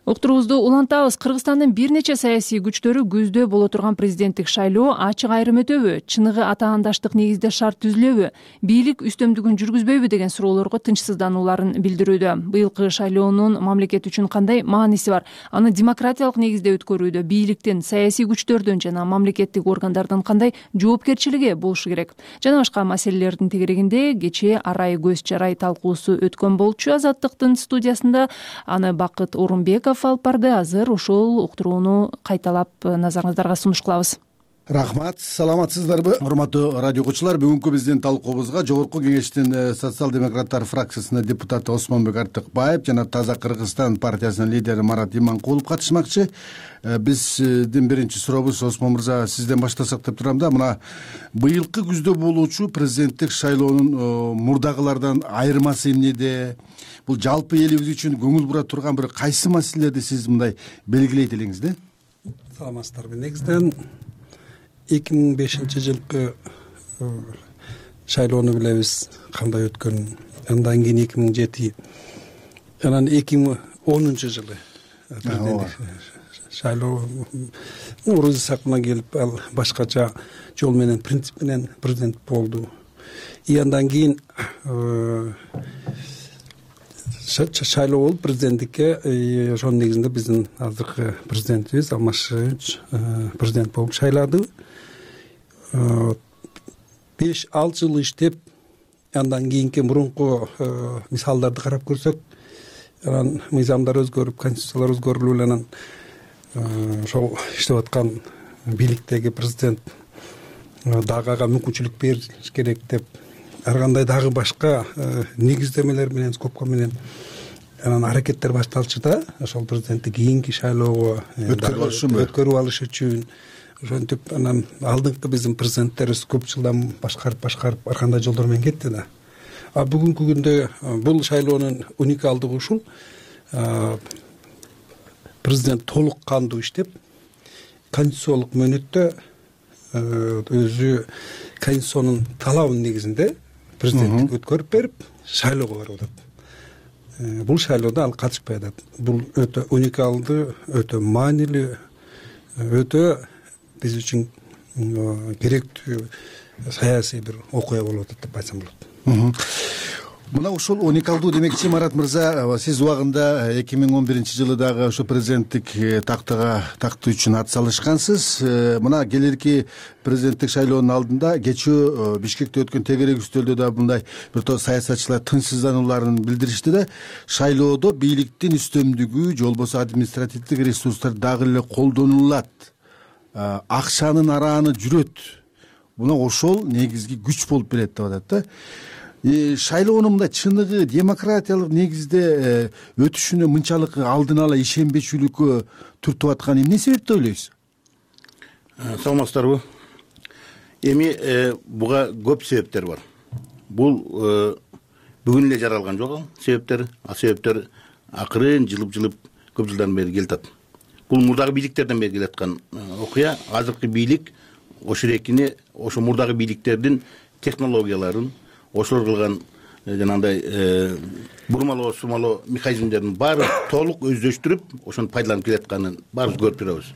Уктуруубузду улантабыз. Кыргызстандын бир нече саясий күчтөрү көздөө боло турган президенттик шайлоо ачык айрым өтөбү, чыныгы атаандаштык негизде шарт түзүлөбү, бийлик үстөмдүгүн жүргүзбөйбү деген суроолорго тынчсызданууларын билдирүүдө. Быйылкы шайлоонун мамлекет үчүн кандай мааниси бар? Аны демократиялык негизде өткөрүүдө бийликтин, саясий күчтөрдүн жана мамлекеттик органдардын кандай жоопкерчилиги болушу керек? Жана башка маселелердин тегерегинде кечээ арай көз чарай талкуусу өткөн болчу. Азаттыктын студиясында аны Бакыт Орунбеков алып барды. Азыр ошол уктурууну кайталап назарыңыздарга сунуш кылабыз. Рахмат, саламатсыздарбы, урматтуу радио окуучулар. Бүгүнкү биздин талкуубузга Жогорку Кеңештин социал-демократтар фракциясынын депутаты Осмонбек Артыкбаев жана Таза Кыргызстан партиясынын лидери Марат Иманкулов катышмакчы. Биздин биринчи сурообуз, Осмон мырза, сизден баштасак деп турам да. Мына быйылкы күздө болуучу президенттик шайлоонун мурдагылардан айырмасы эмнеде? Бул жалпы элибиз үчүн көңүл бура турган бир кайсы маселелерди сиз мындай белгилейт элеңиз да? Саламатсыздарбы. Негизинен эки миң бешинчи жылкы шайлоону билебиз кандай өткөнүн. Андан кийин эки миң жети, анан эки миң онунчу жылы шайлоо Орус Исаковна келип, ал башкача жол менен, принцип менен президент болду. И андан кийин шайлоо болуп президенттикке, ошонун негизинде биздин азыркы президентибиз Алмашевич президент болуп шайлады. беш алты жыл иштеп, андан кийинки мурунку мисалдарды карап көрсөк, анан мыйзамдар өзгөрүп, конституциялар өзгөрүлүп эле анан ошол иштеп аткан бийликтеги президент дагы ага мүмкүнчүлүк бериш керек деп, ар кандай дагы башка негиздемелер менен, скобка менен анан аракеттер башталчу да, ошол президентти кийинки шайлоого өткөрүп алыш үчүн. Ошентип анан алдыңкы биздин президенттерибиз көп жылдан башкарып башкарып ар кандай жолдор менен кетти да. А бүгүнкү күндө бул шайлоонун уникалдыгы ушул: президент толук кандуу иштеп, конституциялык мөөнөттө өзү конституциянын талабынын негизинде президенттик өткөрүп берип, шайлоого барып атат. Бул шайлоодо ал катышпай атат. Бул өтө уникалдуу, өтө маанилүү, өтө биз үчүн керектүү саясий бир окуя болуп атат деп айтсам болот. Мына ушул уникалдуу демекчи, Марат мырза, сиз убагында эки миң он биринчи жылы дагы ошо президенттик тактыга тактуу үчүн ат салышкансыз. Мына келерки президенттик шайлоонун алдында кечээ Бишкекте өткөн тегерек үстөлдө да мындай бир топ саясатчылар тынчсызданууларын билдиришти да. Шайлоодо бийликтин үстөмдүгү же болбосо административдик ресурстар дагы эле колдонулат, акчанын арааны жүрөт. Мына ошол негизги күч болуп берет деп атат да. Шайлоонун мындай чыныгы демократиялык негизде өтүшүнө мынчалык алдын ала ишенбечүлүккө түртүп аткан эмне себеп деп ойлойсуз? Саламатсыздарбы. Эми буга көп себептер бар. Бул бүгүн эле жаралган жок ал себептер. А себептер акырын жылып-жылып көп жылдан бери келатат. Бул мурдагы бийликтерден бери келаткан окуя. Азыркы бийлик ошо рекини, ошо мурдагы бийликтердин технологияларын, ошолор кылган жанагындай бурмалоо сумалоо механизмдерин баары толук өздөштүрүп, ошону пайдаланып келатканын баарыбыз көрүп турабыз.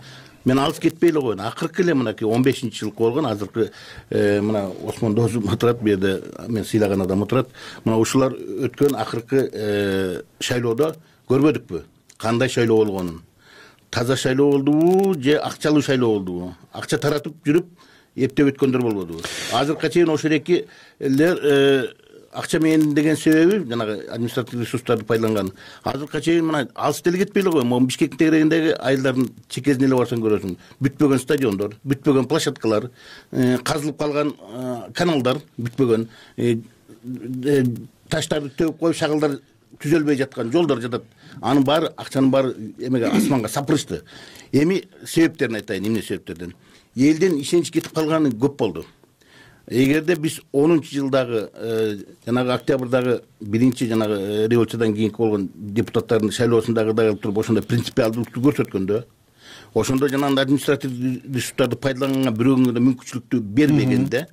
Мен алыс кетпей эле коеюн. Акыркы эле мынакей он бешинчи жылкы болгон азыркы мына Осмон досум отурат, бу жерде мен сыйлаган адам отурат. Мына ушулар өткөн акыркы шайлоодо көрбөдүкпү кандай шайлоо болгонун? Таза шайлоо болдубу же акчалуу шайлоо болдубу? Акча таратып жүрүп, эптеп өткөндөр болбодубу? Азыркыга чейин ошол экилер акча менен деген себеби жанагы административдик ресурстарды пайдаланган. Азыркыга чейин мына алыс деле кетпей эле кой. Могу Бишкектин тегерегиндеги айылдардын чекесине эле барсаң көрөсүң. Бүтпөгөн стадиондор, бүтпөгөн площадкалар, казылып калган каналдар бүтпөгөн, таштарды төгүп коюп шагылдар түзөлбөй жаткан жолдор жатат. Анын баары акчанын баары эмеге асманга сапырышты. Эми себептерин айтайын, эмне себептерден. Элден ишенич кетип калганы көп болду. Эгерде биз онунчу жылдагы жанагы октябрдагы биринчи жанагы революциядан кийинки болгон депутаттардын шайлоосундагыдай кылып туруп ошондой принципиалдуулукту көрсөткөндө, ошондо жанагы административдик ресурстарды пайдаланганга бирөөгө да мүмкүнчүлүктү бербегенде,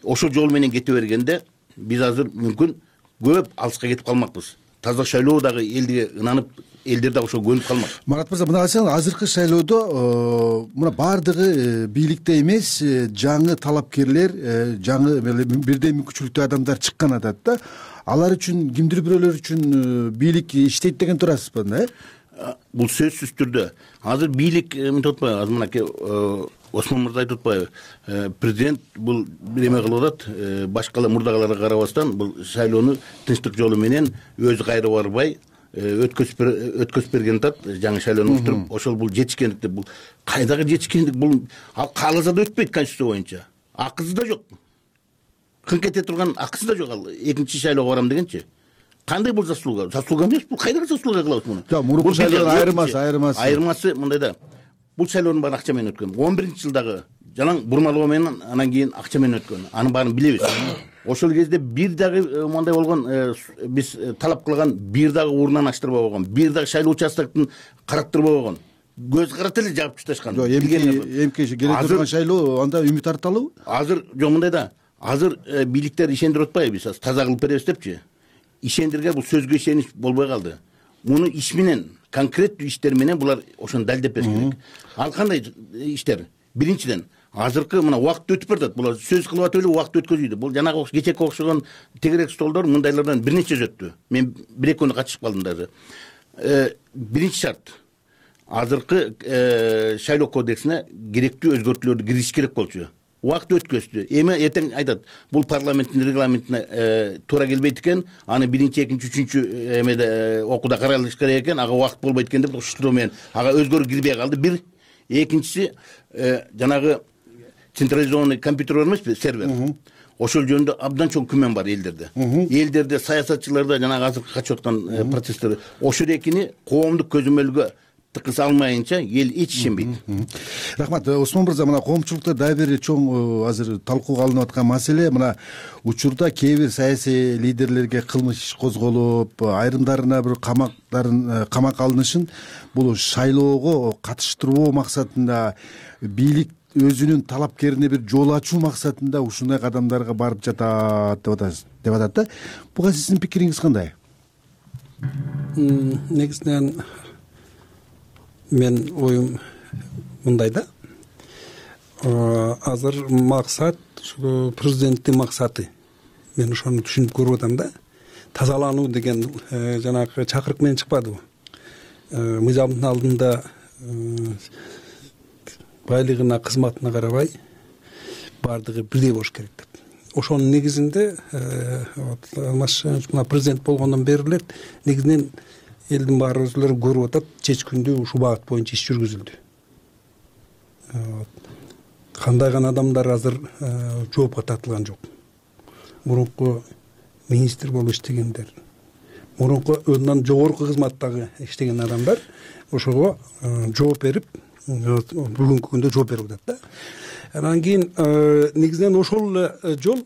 ошол жол менен кете бергенде биз азыр мүмкүн көп алыска кетип калмакпыз. Таза шайлоо дагы элге ынанып, элдер дагы ошого көнүп калмак. Марат мырза, мына карасаң, азыркы шайлоодо мына баардыгы бийликте эмес, жаңы талапкерлер, жаңы бирдей мүмкүнчүлүктүү адамдар чыккан атат да. Алар үчүн, кимдир бирөөлөр үчүн бийлик иштейт деген турасызбы, э? Бул сөзсүз түрдө. Азыр бийлик мынтип атпайбы? Азыр мынакей Осмон мырза айтып атпайбы? Президент бул бир эме кылып атат, башкалар мурдагыларга карабастан бул шайлоону тынчтык жолу менен өзү кайра барбай өткөзүп берген атат, жаңы шайлоону уктуруп. Ошол бул жетишкендик деп, бул кайдагы жетишкендик? Бул ал кааласа да өтпөйт конституция боюнча. Акысы да жок. Кыңк эте турган акысы да жок ал экинчи шайлоого барам дегенчи. Кандай бул заслуга? Заслуга эмес, бул кайдагы заслуга кылабыз муну? Жок, мурунку шайлоонун айырмасы, айырмасы. Айырмасы мындай да. Бул шайлоонун баары акча менен өткөн. он биринчи жылдагы жалаң бурмалоо менен анан кийин акча менен өткөн. Анын баарын билебиз. Ошол кезде бир дагы мындай болгон, биз талап кылган бир дагы урунан аштырбай койгон, бир дагы шайлоо участоктун караттырбай койгон. Көз карата эле жаап ташташкан. Жок, эмки эмки келе турган шайлоо анда үмүт арталыбы? Азыр жок, мындай да. Азыр бийликтер ишендирип атпайбы, биз таза кылып беребиз депчи. Ишендирге бул сөзгө ишенич болбой калды. Муну иш менен, конкреттүү иштер менен булар ошону далилдеп бериш керек. Ал кандай иштер? Биринчиден, азыркы мына убакыт өтүп баратат. Булар сөз кылып атып эле убакыт өткөзүүдө. Бул жанагы кечеки окшогон тегерек столдор мындайлардан бир нече өттү. Мен бир эки күнү катышып калдым дагы. Биринчи шарт. Азыркы шайлоо кодексине керектүү өзгөртүүлөрдү киргизиш керек болчу. Убакыт өткөздү. Эми эртең айтат, бул парламенттин регламентине туура келбейт экен, аны биринчи, экинчи, үчүнчү эмеде окууда каралыш керек экен, ага убакыт болбойт экен деп ушундоо менен ага өзгөрүү кирбей калды. Бир, экинчиси жанагы централизованный компьютер бар эмеспи, сервер. Ошол жөнүндө абдан чоң күмөн бар элдерде. Элдерде, саясатчыларда жанагы азыркы качып аткан процесстер, ошол экини коомдук көзөмөлгө тыккыза алмайынча эл эч ишенбейт. Рахмат. Осмон мырза, мына коомчулукта дагы бир чоң азыр талкууга алынып аткан маселе, мына учурда кээ бир саясий лидерлерге кылмыш иш козголуп, айрымдарына бир камактарын камакка алынышын бул шайлоого катыштырбоо максатында бийлик өзүнүн талапкерине бир жол ачуу максатында ушундай кадамдарга барып жатат деп атат да. Буга сиздин пикириңиз кандай? Негизинен мен оюм мындай да. Азыр максат, президенттин максаты. Мен ошону түшүнүп көрүп атам да. Тазалануу деген жанагы чакырык менен чыкпадыбы? Мыйзамдын алдында байлыгына, кызматына карабай баардыгы бирдей болуш керек деп. Ошонун негизинде мына президент болгондон бери эле негизинен элдин баары өзүлөрү көрүп атат, чечкиндүү ушул багыт боюнча иш жүргүзүлдү. Кандай гана адамдар азыр жоопко тартылган жок. Мурунку министр болуп иштегендер, мурунку андан жогорку кызматтагы иштеген адамдар ошого жооп берип, бүгүнкү күндө жооп берип атат да. Анан кийин негизинен ошол эле жол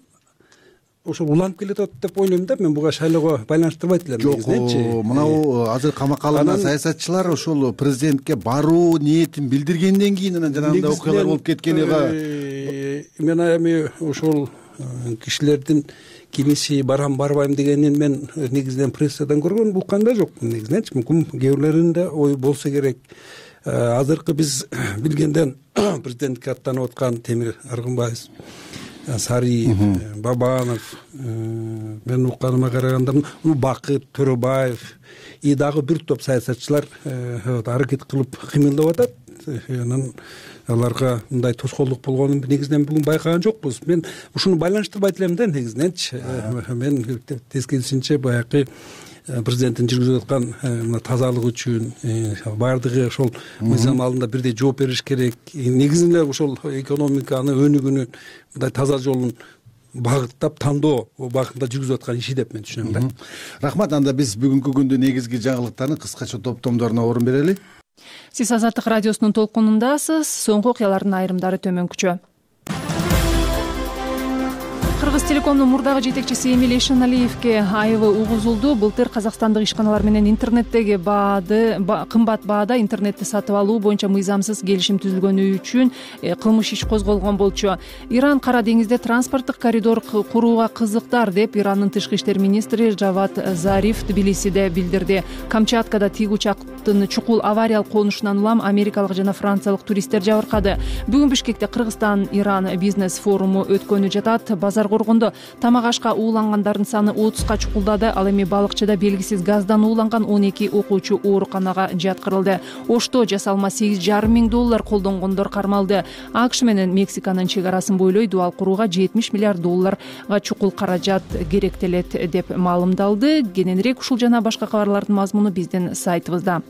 ошол уланып келатат деп ойлойм да. Мен буга шайлоого байланыштырбайт элем негизиненчи. Жок, мынау азыр камакка алынган саясатчылар ошол президентке баруу ниетин билдиргенден кийин анан жанагындай окуялар болуп кеткенига мен эми ошол кишилердин кимиси барам барбайм дегенин мен негизинен прессадан көргөн уккан да жокмун негизиненчи. Мүмкүн кээ бирлеринде ой болсо керек. Азыркы биз билгенден президентке аттанып аткан Темир Аргынбаев, Сарий, Бабанов, мен укканыма караганда Бакыт Төрөбаев и дагы бир топ саясатчылар аракет кылып кыймылдап атат. анан аларга мындай тоскоолдук болгонун негизинен бүгүн байкаган жокпуз. Мен ушуну байланыштырбайт элем да негизиненчи. Мен тескерисинче баягы президенттин жүргүзүп аткан мына тазалык үчүн баардыгы ошол мыйзам алдында бирдей жооп бериш керек. Негизинен ошол экономиканы өнүгүүнүн мындай таза жолун багыттап тандоо багытында жүргүзүп аткан иши деп мен түшүнөм да. Рахмат. Анда биз бүгүнкү күндүн негизги жаңылыктарын кыскача топтомдоруна орун берели. Сиз Азаттык радиосунун толкунундасыз. Соңку окуялардын айрымдары төмөнкүчө. Кыргыз Телекомдун мурдагы жетекчиси Эмиль Эшеналиевке айыбы угузулду. Былтыр казакстандык ишканалар менен интернеттеги баады кымбат баада интернетти сатып алуу боюнча мыйзамсыз келишим түзүлгөнү үчүн кылмыш иш козголгон болчу. Иран Кара деңизде транспорттук коридор курууга кызыктар деп Ирандын тышкы иштер министри Жавад Зариф Тбилисиде билдирди. Камчаткада тиги учактын чукул авариялык конушунан улам америкалык жана франциялык туристтер жабыркады. Бүгүн Бишкекте Кыргызстан-Иран бизнес форуму өткөнү жатат. Базар коргондо тамак ашка уулангандардын саны отузга чукулдады. Ал эми Балыкчыда белгисиз газдан ууланган он эки окуучу ооруканага жаткырылды. Ошто жасалма сегиз жарым миң доллар колдонгондор кармалды. АКШ менен Мексиканын чек арасын бойлой дубал курууга жетимиш миллиард долларга чукул каражат керектелет деп маалымдалды. Кененирээк ушул жана башка кабарлардын мазмуну биздин сайтыбызда.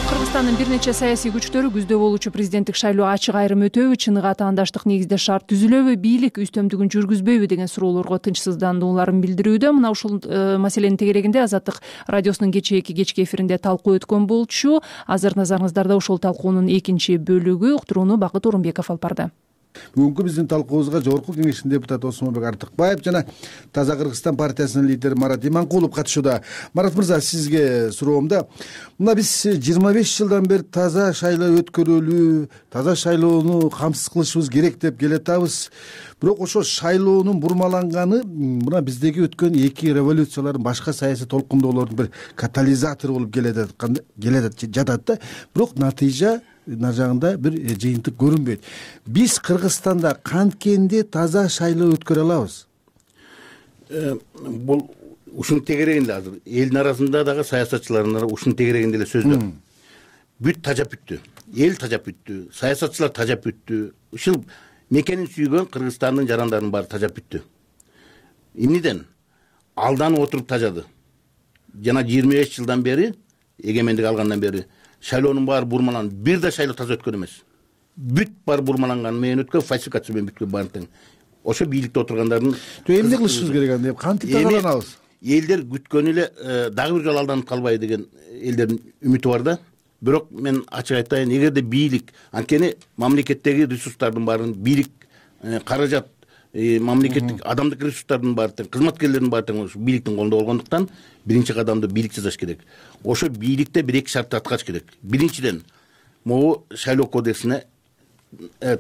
Кыргызстандын бир нече саясий күчтөрү күздө болуучу президенттик шайлоо ачык айрым өтөбү, чыныгы атаандаштык негизде шарт түзүлөбү, бийлик үстөмдүгүн жүргүзбөйбү деген суроолорго тынчсыздандууларын билдирүүдө. Мына ушул маселенин тегерегинде Азаттык радиосунун кечээки кечки эфиринде талкуу өткөн болчу. Азыр назарыңыздарда ушул талкуунун экинчи бөлүгү. Уктурууну Бакыт Орунбеков алып барды. Бүгүнкү биздин талкуубузга Жогорку Кеңештин депутаты Осмонбек Артыкбаев жана Таза Кыргызстан партиясынын лидери Марат Иманкулов катышууда. Марат мырза, сизге суроомда, мына биз жыйырма беш жылдан бери таза шайлоо өткөрөлүү, таза шайлоону камсыз кылышыбыз керек деп келатабыз. Бирок ошо шайлоонун бурмаланганы мына биздеги өткөн эки революциялардын, башка саясий толкундоолордун бир катализатору болуп келет жатат да. Бирок натыйжа нар жагында бир жыйынтык көрүнбөйт. Биз Кыргызстанда канткенде таза шайлоо өткөрө алабыз? Бул ушунун тегерегинде азыр элдин арасында дагы саясатчылардын ушунун тегерегинде эле сөздөр. Бүт тажап бүттү. Эл тажап бүттү. Саясатчылар тажап бүттү. Ушул мекенин сүйгөн Кыргызстандын жарандарынын баары тажап бүттү. Эмнеден? Алданып отуруп тажады. Жана жыйырма беш жылдан бери, эгемендик алгандан бери шайлоонун баары бурмаланып, бир да шайлоо таза өткөн эмес. Бүт бар бурмаланган менен өткөн, фальсификация менен бүткөн баары тең. Ошо бийликте отургандардын эмне кылышыбыз керек анда? Кантип тазаланабыз? Элдер күткөн эле дагы бир жолу алданып калбайбы деген элдердин үмүтү бар да. Бирок мен ачык айтайын, эгерде бийлик, анткени мамлекеттеги ресурстардын баарын бийлик каражат, мамлекеттик адамдык ресурстардын баары тең, кызматкерлердин баары тең ушу бийликтин колунда болгондуктан биринчи кадамды бийлик жасаш керек. Ошо бийликте бир эки шартты аткарыш керек. Биринчиден, могу шайлоо кодексине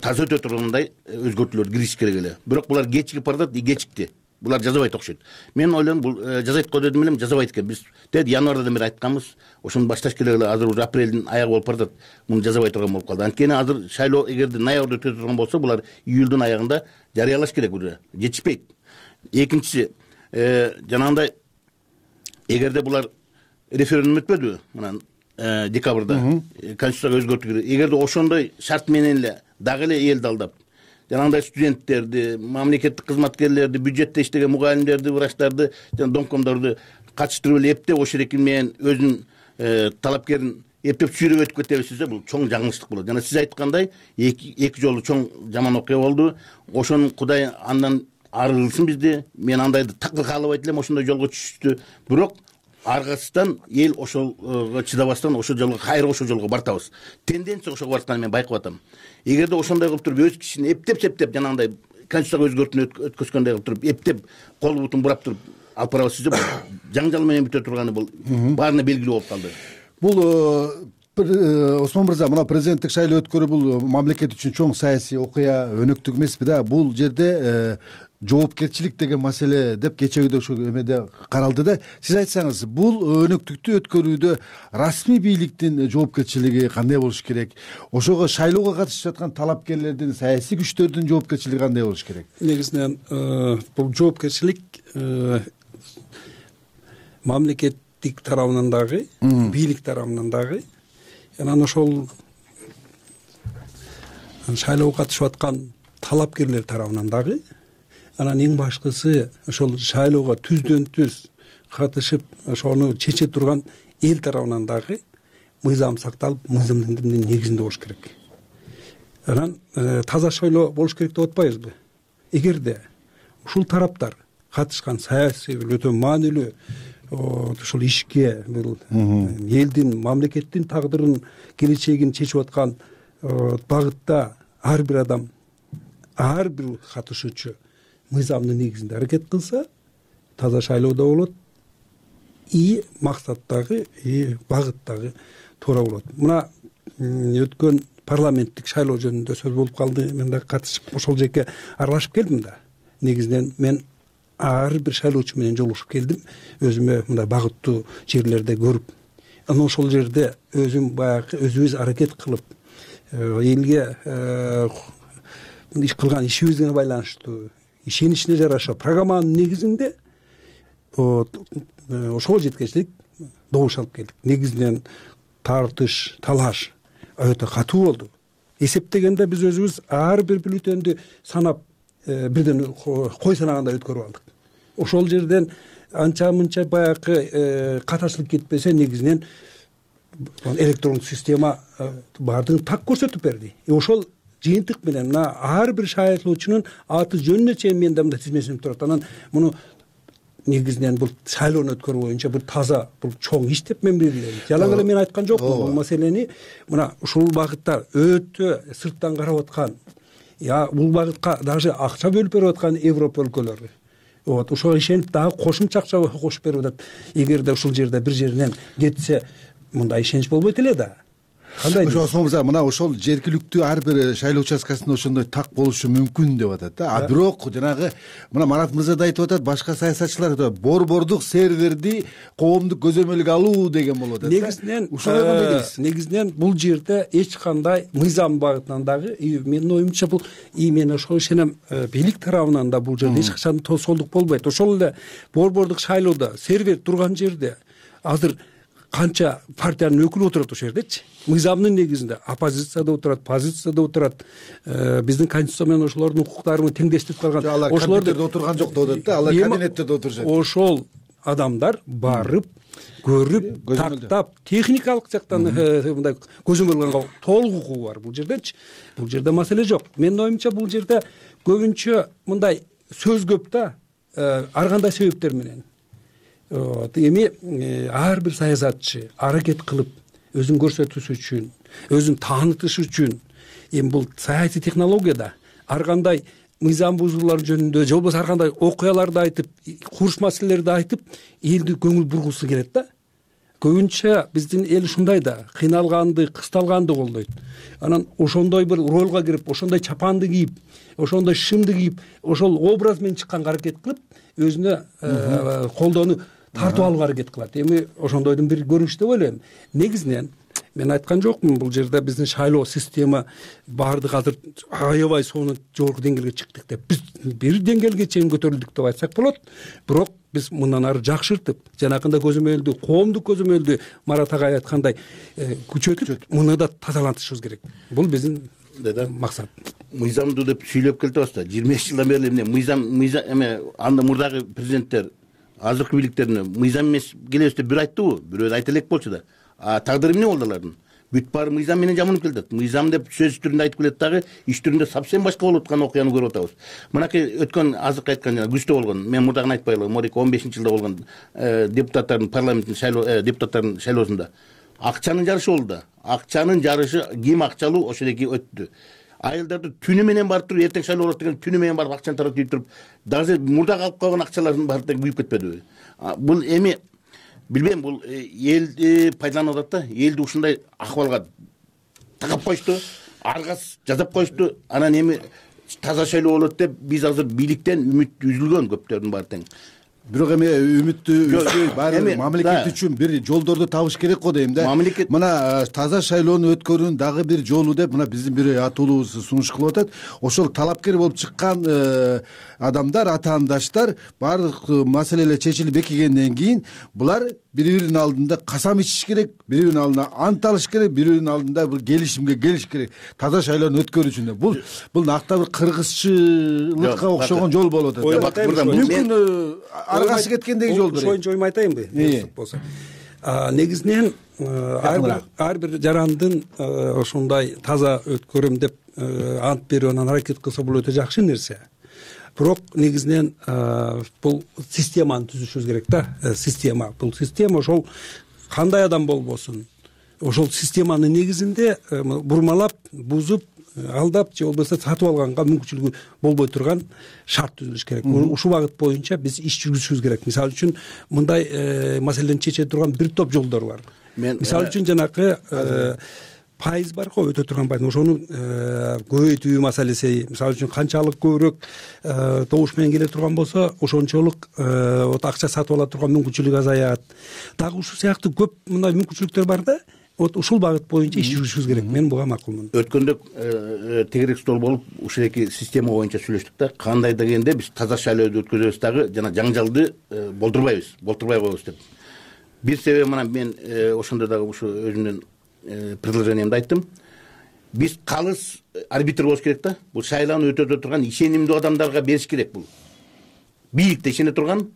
таза өтө тургандай өзгөртүүлөр кириш керек эле. Бирок булар кечигип баратат, и кечикти. Булар жазабайт окшойт. Мен ойлойм, бул жазайт го дедим элем, жазабайт экен. Биз тед январдан бери айтканбыз, ошону башташ керек эле. Азыр уже апрелдин аягы болуп баратат. Муну жазабай турган болуп калды. Анткени азыр шайлоо эгерде ноябрда өтө турган болсо, булар июлдун аягында жарыялаш керек уже. Жетишпейт. Экинчиси, жанагындай эгерде булар референдум өтпөдүбү, мына декабрда конституцияга өзгөртүү керек. Эгерде ошондой шарт менен эле дагы эле элди алдап, жанагындай студенттерди, мамлекеттик кызматкерлерди, бюджетте иштеген мугалимдерди, врачтарды, жана домкомдорду катыштырып эле эптеп ошол эки менен өзүнүн талапкерин эптеп сүйрөп өтүп кетебиз десе, бул чоң жаңылыштык болот. Жана сиз айткандай, эки эки жолу чоң жаман окуя болду. Ошону Кудай андан ары кылсын бизди. Мен андайды такыр каалабайт элем, ошондой жолго түшүштү. Бирок аргасынан эл ошого чыдабастан ошол жолго, кайра ошол жолго бартабыз. Тенденция ошого баратканын мен байкап атам. Эгерде ошондой кылып туруп, өз кишини эптеп-септеп, жанагындай конституцияга өзгөртүүнү өткөзгөндөй кылып туруп, эптеп кол бутун бурап туруп алып барабыз десе, жаңжал менен бүтө турганы бул баарына белгилүү болуп калды. Бул Осмон мырза, мына президенттик шайлоо өткөрүү бул мамлекет үчүн чоң саясий окуя, өнөктүк эмеспи да? Бул жерде жоопкерчилик деген маселе деп кечеги ошо эмеде каралды да. Сиз айтсаңыз, бул өнөктүктү өткөрүүдө расмий бийликтин жоопкерчилиги кандай болуш керек? Ошого шайлоого катышып жаткан талапкерлердин, саясий күчтөрдүн жоопкерчилиги кандай болуш керек? Негизинен бул жоопкерчилик мамлекет парламенттик тарабынан дагы, бийлик тарабынан дагы, анан ошол шайлоого катышып аткан талапкерлер тарабынан дагы, анан эң башкысы ошол шайлоого түздөн түз катышып ошону чече турган эл тарабынан дагы мыйзам сакталып, мыйзамдын негизинде болуш керек. Анан таза шайлоо болуш керек деп атпайбызбы? Эгерде ушул тараптар катышкан саясий өтө маанилүү ушул ишке, бул элдин, мамлекеттин тагдырын, келечегин чечип аткан багытта ар бир адам, ар бир катышуучу мыйзамдын негизинде аракет кылса, таза шайлоо да болот, и максат дагы, и багыт дагы туура болот. Мына өткөн парламенттик шайлоо жөнүндө сөз болуп калды. Мен да катышып ошол жерге аралашып келдим да. Негизинен мен ар бир шайлоочу менен жолугушуп келдим. Өзүмө мындай багыттуу жерлерде көрүп, анан ошол жерде өзүм баягы өзүбүз аракет кылып, элге иш кылган ишибизге байланыштуу, ишеничине жараша программанын негизинде ошого жеткенчелик добуш алып келдик. Негизинен тартыш, талаш өтө катуу болду. Эсептегенде биз өзүбүз ар бир бюллетенди санап, бирден кой санагандай өткөрүп алдык. Ошол жерден анча мынча баягы катачылык кетпесе, негизинен электрондук система баардыгын так көрсөтүп берди. Ошол жыйынтык менен мына ар бир шайлоочунун аты жөнүнө чейин менде мындай тизмесинип турат. Анан муну негизинен бул шайлоону өткөрүү боюнча бир таза, бул чоң иш деп мен белгилейм. Жалаң эле мен айткан жокмун. Бул маселени мына ушул багытта өтө сырттан карап аткан, я бул багытка даже акча бөлүп берип аткан Европа өлкөлөрү. Вот, ошого ишенип дагы кошумча акча кошуп берип атат. Эгерде ушул жерде бир жеринен кетсе, мындай ишенич болбойт эле да. Кандай? Ошол мына ошол жергиликтүү ар бир шайлоо участкасында ошондой так болушу мүмкүн деп атат да. А бирок жанагы мына Марат мырза да айтып атат, башка саясатчылар да борбордук серверди коомдук көзөмөлгө алуу деген болуп атат. Негизинен ушул негизинен бул жерде эч кандай мыйзам багытынан дагы, менин оюмча бул и мен ошого ишенем, бийлик тарабынан да бул жерде эч качан тосолдук болбойт. Ошол эле борбордук шайлоодо сервер турган жерде азыр канча партиянын өкүлү отурат ошол жердечи. Мыйзамдын негизинде оппозицияда отурат, позицияда отурат. Биздин конституция менен ошолордун укуктарын теңдештирип калган. Ошолордо отурган жок деп атат да, алар кабинетте отурушат. Ошол адамдар барып, көрүп, тактап, техникалык жактан мындай көзөмөл кылганга толук укугу бар бул жердечи. Бул жерде маселе жок. Менин оюмча бул жерде көбүнчө мындай сөз көп да, ар кандай себептер менен. Эми ар бир саясатчы аракет кылып, өзүн көрсөтүш үчүн, өзүн таанытыш үчүн, эми бул саясий технологияда ар кандай мыйзам бузуулар жөнүндө, же болбосо ар кандай окуяларды айтып, курч маселелерди айтып, элди көңүл бургусу келет да. Көбүнчө биздин эл ушундай да, кыйналганды, кысталганды колдойт. Анан ошондой бир ролго кирип, ошондой чапанды кийип, ошондой шымды кийип, ошол образ менен чыкканга аракет кылып, өзүнө колдоону тартып алууга аракет кылат. Эми ошондойдун бир көрүнүшү деп ойлойм. Негизинен мен айткан жокмун, бул жерде биздин шайлоо система баардык азыр аябай сонун жогорку деңгээлге чыктык деп, биз бир деңгээлге чейин көтөрүлдүк деп айтсак болот. Бирок биз мындан ары жакшыртып, жанакындай көзөмөлдү, коомдук көзөмөлдү Марат агай айткандай күчөтүп, муну да тазалантышыбыз керек. Бул биздин максат. Мыйзамды деп сүйлөп келип атасыз да. жыйырма беш жылдан бери эмне мыйзам мыйзам эме анда мурдагы президенттер азыркы бийликтерине мыйзам эмес келебиз деп бир айттыбы, бирөө айта элек болчу да. А тагдыры эмне болду алардын? Бүт баары мыйзам менен жаманып келатат. Мыйзам деп сөз түрүндө айтып келет дагы, иш түрүндө совсем башка болуп аткан окуяны көрүп атабыз. Мынакей өткөн азыркы айткан жана күздө болгон, мен мурдагын айтпайлы, Морика он бешинчи жылда болгон депутаттардын парламенттин шайлоо депутаттардын шайлоосунда акчанын жарышы болду да. Акчанын жарышы ким акчалуу ошол эки өттү. Айылдарды түнү менен барып туруп, эртең шайлоо болот деген түнү менен барып акчаны таратып ийип туруп, дагы мурдагы алып калган акчалардын баары да күйүп кетпедиби? Бул эми билбейм, бул элди пайдаланып атат да, элди ушундай акыбалга тагап коюшту, аргас жазап коюшту. Анан эми таза шайлоо болот деп биз азыр бийликтен үмүт үзүлгөн көптөрдүн баары тең. Бирок эми үмүттү үзбөй баары мамлекет үчүн бир жолдорду табыш керек го дейм да. Мына таза шайлоону өткөрүүнүн дагы бир жолу деп мына биздин бир атуулубуз сунуш кылып атат. Ошол талапкер болуп чыккан адамдар, атаандаштар баардык маселелер чечилип бекигенден кийин булар бири биринин алдында касам ичиш керек, бири биринин алдында ант алыш керек, бири биринин алдында бир келишимге келиш керек таза шайлоону өткөрүү үчүн. Бул бул накта бир кыргызчылыкка окшогон жол болуп атат. Мүмкүн аргасы кеткендеги жолдор. Ошоюнча ойум айтайынбы? болсо негизинен ар бир жарандын ошондой таза өткөрөм деп ант берип анан аракет кылса бул өтө жакшы нерсе. Бирок негизинен бул системаны түзүшүбүз керек да. Система бул система ошол кандай адам болбосун ошол системанын негизинде бурмалап, бузуп, алдап же болбосо сатып алганга мүмкүнчүлүгү болбой турган шарт түзүлүш керек. Ушул багыт боюнча биз иш жүргүзүшүбүз керек. Мисалы үчүн мындай маселени чече турган бир топ жолдор бар. Мисалы үчүн жанакы пайыз бар го, өтө турган пайыз. Ошону көбөйтүү маселеси, мисалы үчүн канчалык көбүрөөк добуш менен келе турган болсо, ошончолук акча сатып ала турган мүмкүнчүлүк азаят. Дагы ушул сыяктуу көп мындай мүмкүнчүлүктөр бар да. Вот ушул багыт боюнча иш жүргүзүшүбүз керек. Мен буга макулмун. Өткөндө тегерек стол болуп ушул эки система боюнча сүйлөштүк да. Кандай дегенде биз таза шайлооду өткөзөбүз дагы жана жаңжалды болдурбайбыз, болтурбай коебуз деп. Бир себеби мына мен ошондо дагы ушу өзүмдүн предложениемди айттым. Биз калыс арбитр болуш керек да. Бул шайлоону өтөтө турган ишенимдүү адамдарга бериш керек бул. Бийликте ишене турган,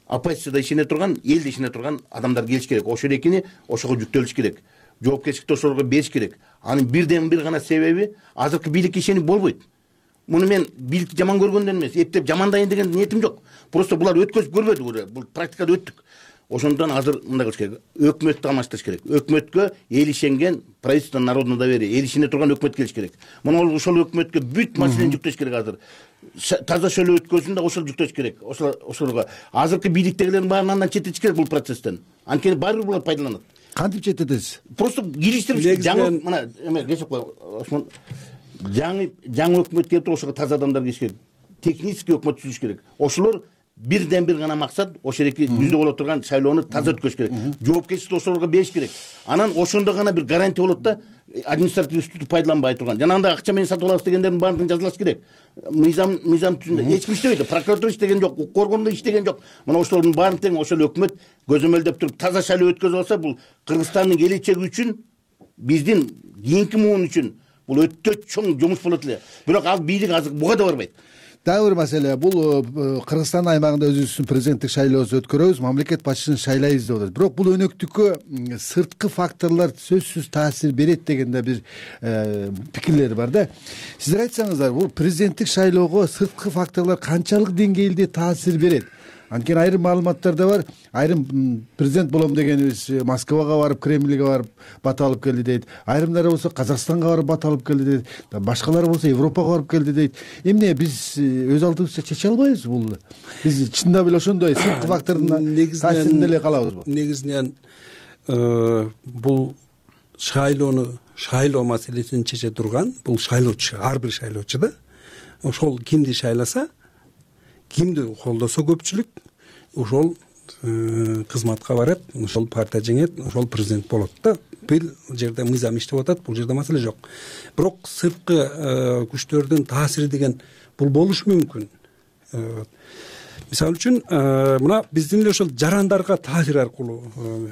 оппозицияда ишене турган, элде ишене турган адамдар келиш керек. Ошол экини ошого жүктөлүш керек. Жоопкерчиликти ошолорго бериш керек. Анын бирден бир гана себеби азыркы бийликке ишенип болбойт. Муну мен бийликти жаман көргөндөн эмес, эптеп жамандайын деген ниетим жок. Просто булар өткөзүп көрбөдү, бул практикада өттүк. Ошондон азыр мындай кылыш керек. Өкмөттү алмаштырыш керек. Өкмөткө эл ишенген правительство народного доверия, эл ишене турган өкмөт келиш керек. Мына ошол өкмөткө бүт маселени жүктөш керек азыр. Таза шайлоо өткөзүн да ошол жүктөш керек. Ошол ошолго азыркы бийликтегилердин баарын андан четтетиш керек бул процесстен. Анткени баары бир булар пайдаланат. Кантип четтетесиз? Просто кириштирип жаңы мына эме кечип кой. Осмон жаңы жаңы өкмөт келип туруп ошого таза адамдар кириш керек. Технический өкмөт түзүш керек. Ошолор бирден бир гана максат ошол эки жүздө боло турган шайлоону таза өткөзүш керек. Жоопкерчиликти ошолорго бериш керек. Анан ошондо гана бир гарантия болот да, административдүү үстүктү пайдаланбай турган. Жана анда акча менен сатып алабыз дегендердин баардыгын жазылаш керек. Мыйзам мыйзам түзүндө эч ким иштебейт. Прокуратура иштеген жок, укук органы иштеген жок. Мына ошолордун баарын тең ошол өкмөт көзөмөлдөп туруп таза шайлоо өткөзүп алса, бул Кыргызстандын келечеги үчүн, биздин кийинки муун үчүн бул өтө чоң жумуш болот эле. Бирок ал бийлик азыр буга да барбайт. Дагы бир маселе, бул Кыргызстан аймагында өзүбүздүн президенттик шайлообузду өткөрөбүз, мамлекет башчысын шайлайбыз деп атат. Бирок бул өнөктүккө сырткы факторлор сөзсүз таасир берет деген да бир пикирлер бар да. Сиздер айтсаңыздар, бул президенттик шайлоого сырткы факторлор канчалык деңгээлде таасир берет? Анткени айрым маалыматтарда бар, айрым президент болом дегенибиз Москвага барып, Кремльге барып бат алып келди дейт. Айрымдары болсо Казакстанга барып бат алып келди дейт. Башкалары болсо Европага барып келди дейт. Эмне биз өз алдыбызча чече албайбыз бул? Биз чындап эле ошондой сырткы фактордун таасиринде эле калабызбы? Негизинен бул шайлоону, шайлоо маселесин чече турган бул шайлоочу, ар бир шайлоочу да. Ошол кимди шайласа, кимди колдосо көпчүлүк, ошол кызматка барат, ошол партия жеңет, ошол президент болот да. Бир жерде мыйзам иштеп атат, бул жерде маселе жок. Бирок сырткы күчтөрдүн таасири деген бул болушу мүмкүн. Мисалы үчүн, мына биздин эле ошол жарандарга таасир аркылуу,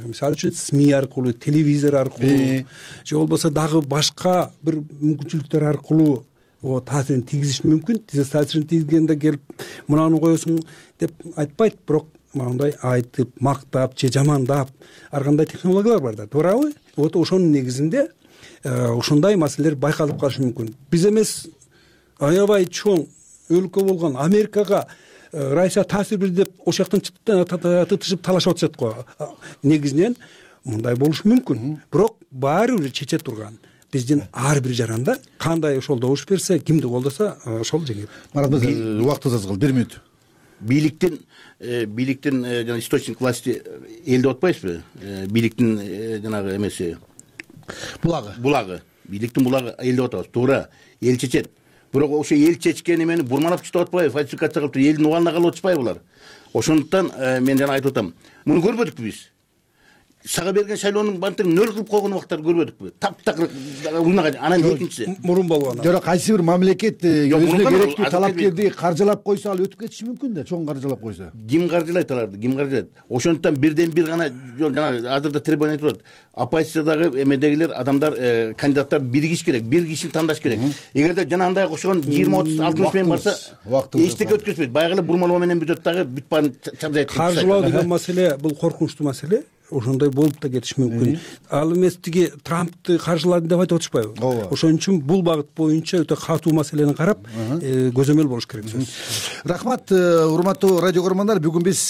мисалы үчүн СМИ аркылуу, телевизор аркылуу, же болбосо дагы башка бир мүмкүнчүлүктөр аркылуу о таасирин тийгизиш мүмкүн. Тиз таасирин тийгизгенде келип мынаны коесуң деп айтпайт, бирок мындай айтып, мактап же жамандап ар кандай технологиялар бар да, туурабы? Вот ошонун негизинде ошондой маселелер байкалып калышы мүмкүн. Биз эмес аябай чоң өлкө болгон Америкага Россия таасир берди деп ошол жактан тытышып талашып атышат го. Негизинен мындай болушу мүмкүн. Бирок баары бир чече турган биздин ар бир жаранда кандай ошол добуш берсе, кимди колдоса, ошол жеңет. Марат мырза, убактыбыз аз калды, бир мүнөт. Бийликтин бийликтин жана источник власти эл деп атпайбызбы? Бийликтин жанагы эмеси булагы. Булагы. Бийликтин булагы эл деп атабыз. Туура, эл чечет. Бирок ошо эл чечкен эмени бурмалап чечип атпайбы, фальсификация кылып, элдин убалына калып атышпайбы булар? Ошондуктан мен жана айтып атам, муну көрбөдүкпү биз? сага берген шайлоонун бантиң нөл кылып койгон убактарды көрбөдүкпү? Таптакыр уйнаган. Анан экинчиси мурун болгон. Жок, кайсы бир мамлекет өзүнө керектүү талапкерди каржылап койсо, ал өтүп кетиши мүмкүн да, чоң каржылап койсо. Ким каржылайт аларды? Ким каржылайт? Ошондуктан бирден бир гана жана азырда требование айтып атат. Оппозициядагы эмедегилер адамдар, кандидаттар биригиш керек, бир кишини тандаш керек. Эгерде жанагындай окшогон жыйырма отуз алтымыш менен барса, эчтеке өткөзбөйт. Баягы эле бурмалоо менен бүтөт дагы бүт баарын чабдай айтып. Каржылоо деген маселе бул коркунучтуу маселе. Ошондой болуп да кетиши мүмкүн. Ал эмес тиги Трампты каржыладым деп айтып атышпайбы? Ошон үчүн бул багыт боюнча өтө катуу маселени карап, көзөмөл болуш керек. Рахмат, урматтуу радио көрөрмандар. Бүгүн биз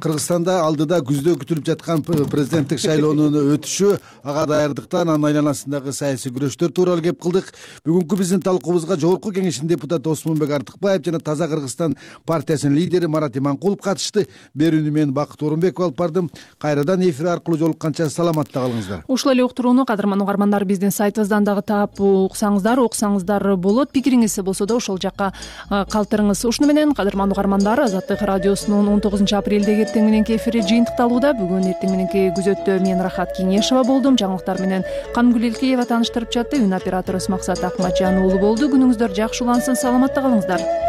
Кыргызстанда алдыда күздө күтүлүп жаткан президенттик шайлоонун өтүшү, ага даярдыктан, анын айланасындагы саясий күрөштөр тууралуу кеп кылдык. Бүгүнкү биздин талкуубузга Жогорку Кеңештин депутаты Осмонбек Артыкбаев жана Таза Кыргызстан партиясынын лидери Марат Иманкулов катышты. Берүүнү мен Бакыт Орунбеков алып бардым. Кайрадан эфир аркылуу жолукканча саламатта калыңыздар. Ушул эле уктурууну кадырман угармандар биздин сайтыбыздан дагы таап уксаңыздар, окусаңыздар болот. Пикириңиз болсо да ошол жакка калтырыңыз. Ушуну менен кадырман угармандар, Азаттык радиосунун он тогузунчу апрелдеги эртең мененки эфири жыйынтыкталууда. Бүгүн эртең мененки күзөттө мен Рахат Кеңешова болдум. Жаңылыктар менен Камгүл Элкеева тааныштырып жатты. Үн операторубуз Максат Акматжан уулу болду. Күнүңүздөр жакшы улансын, саламатта калыңыздар.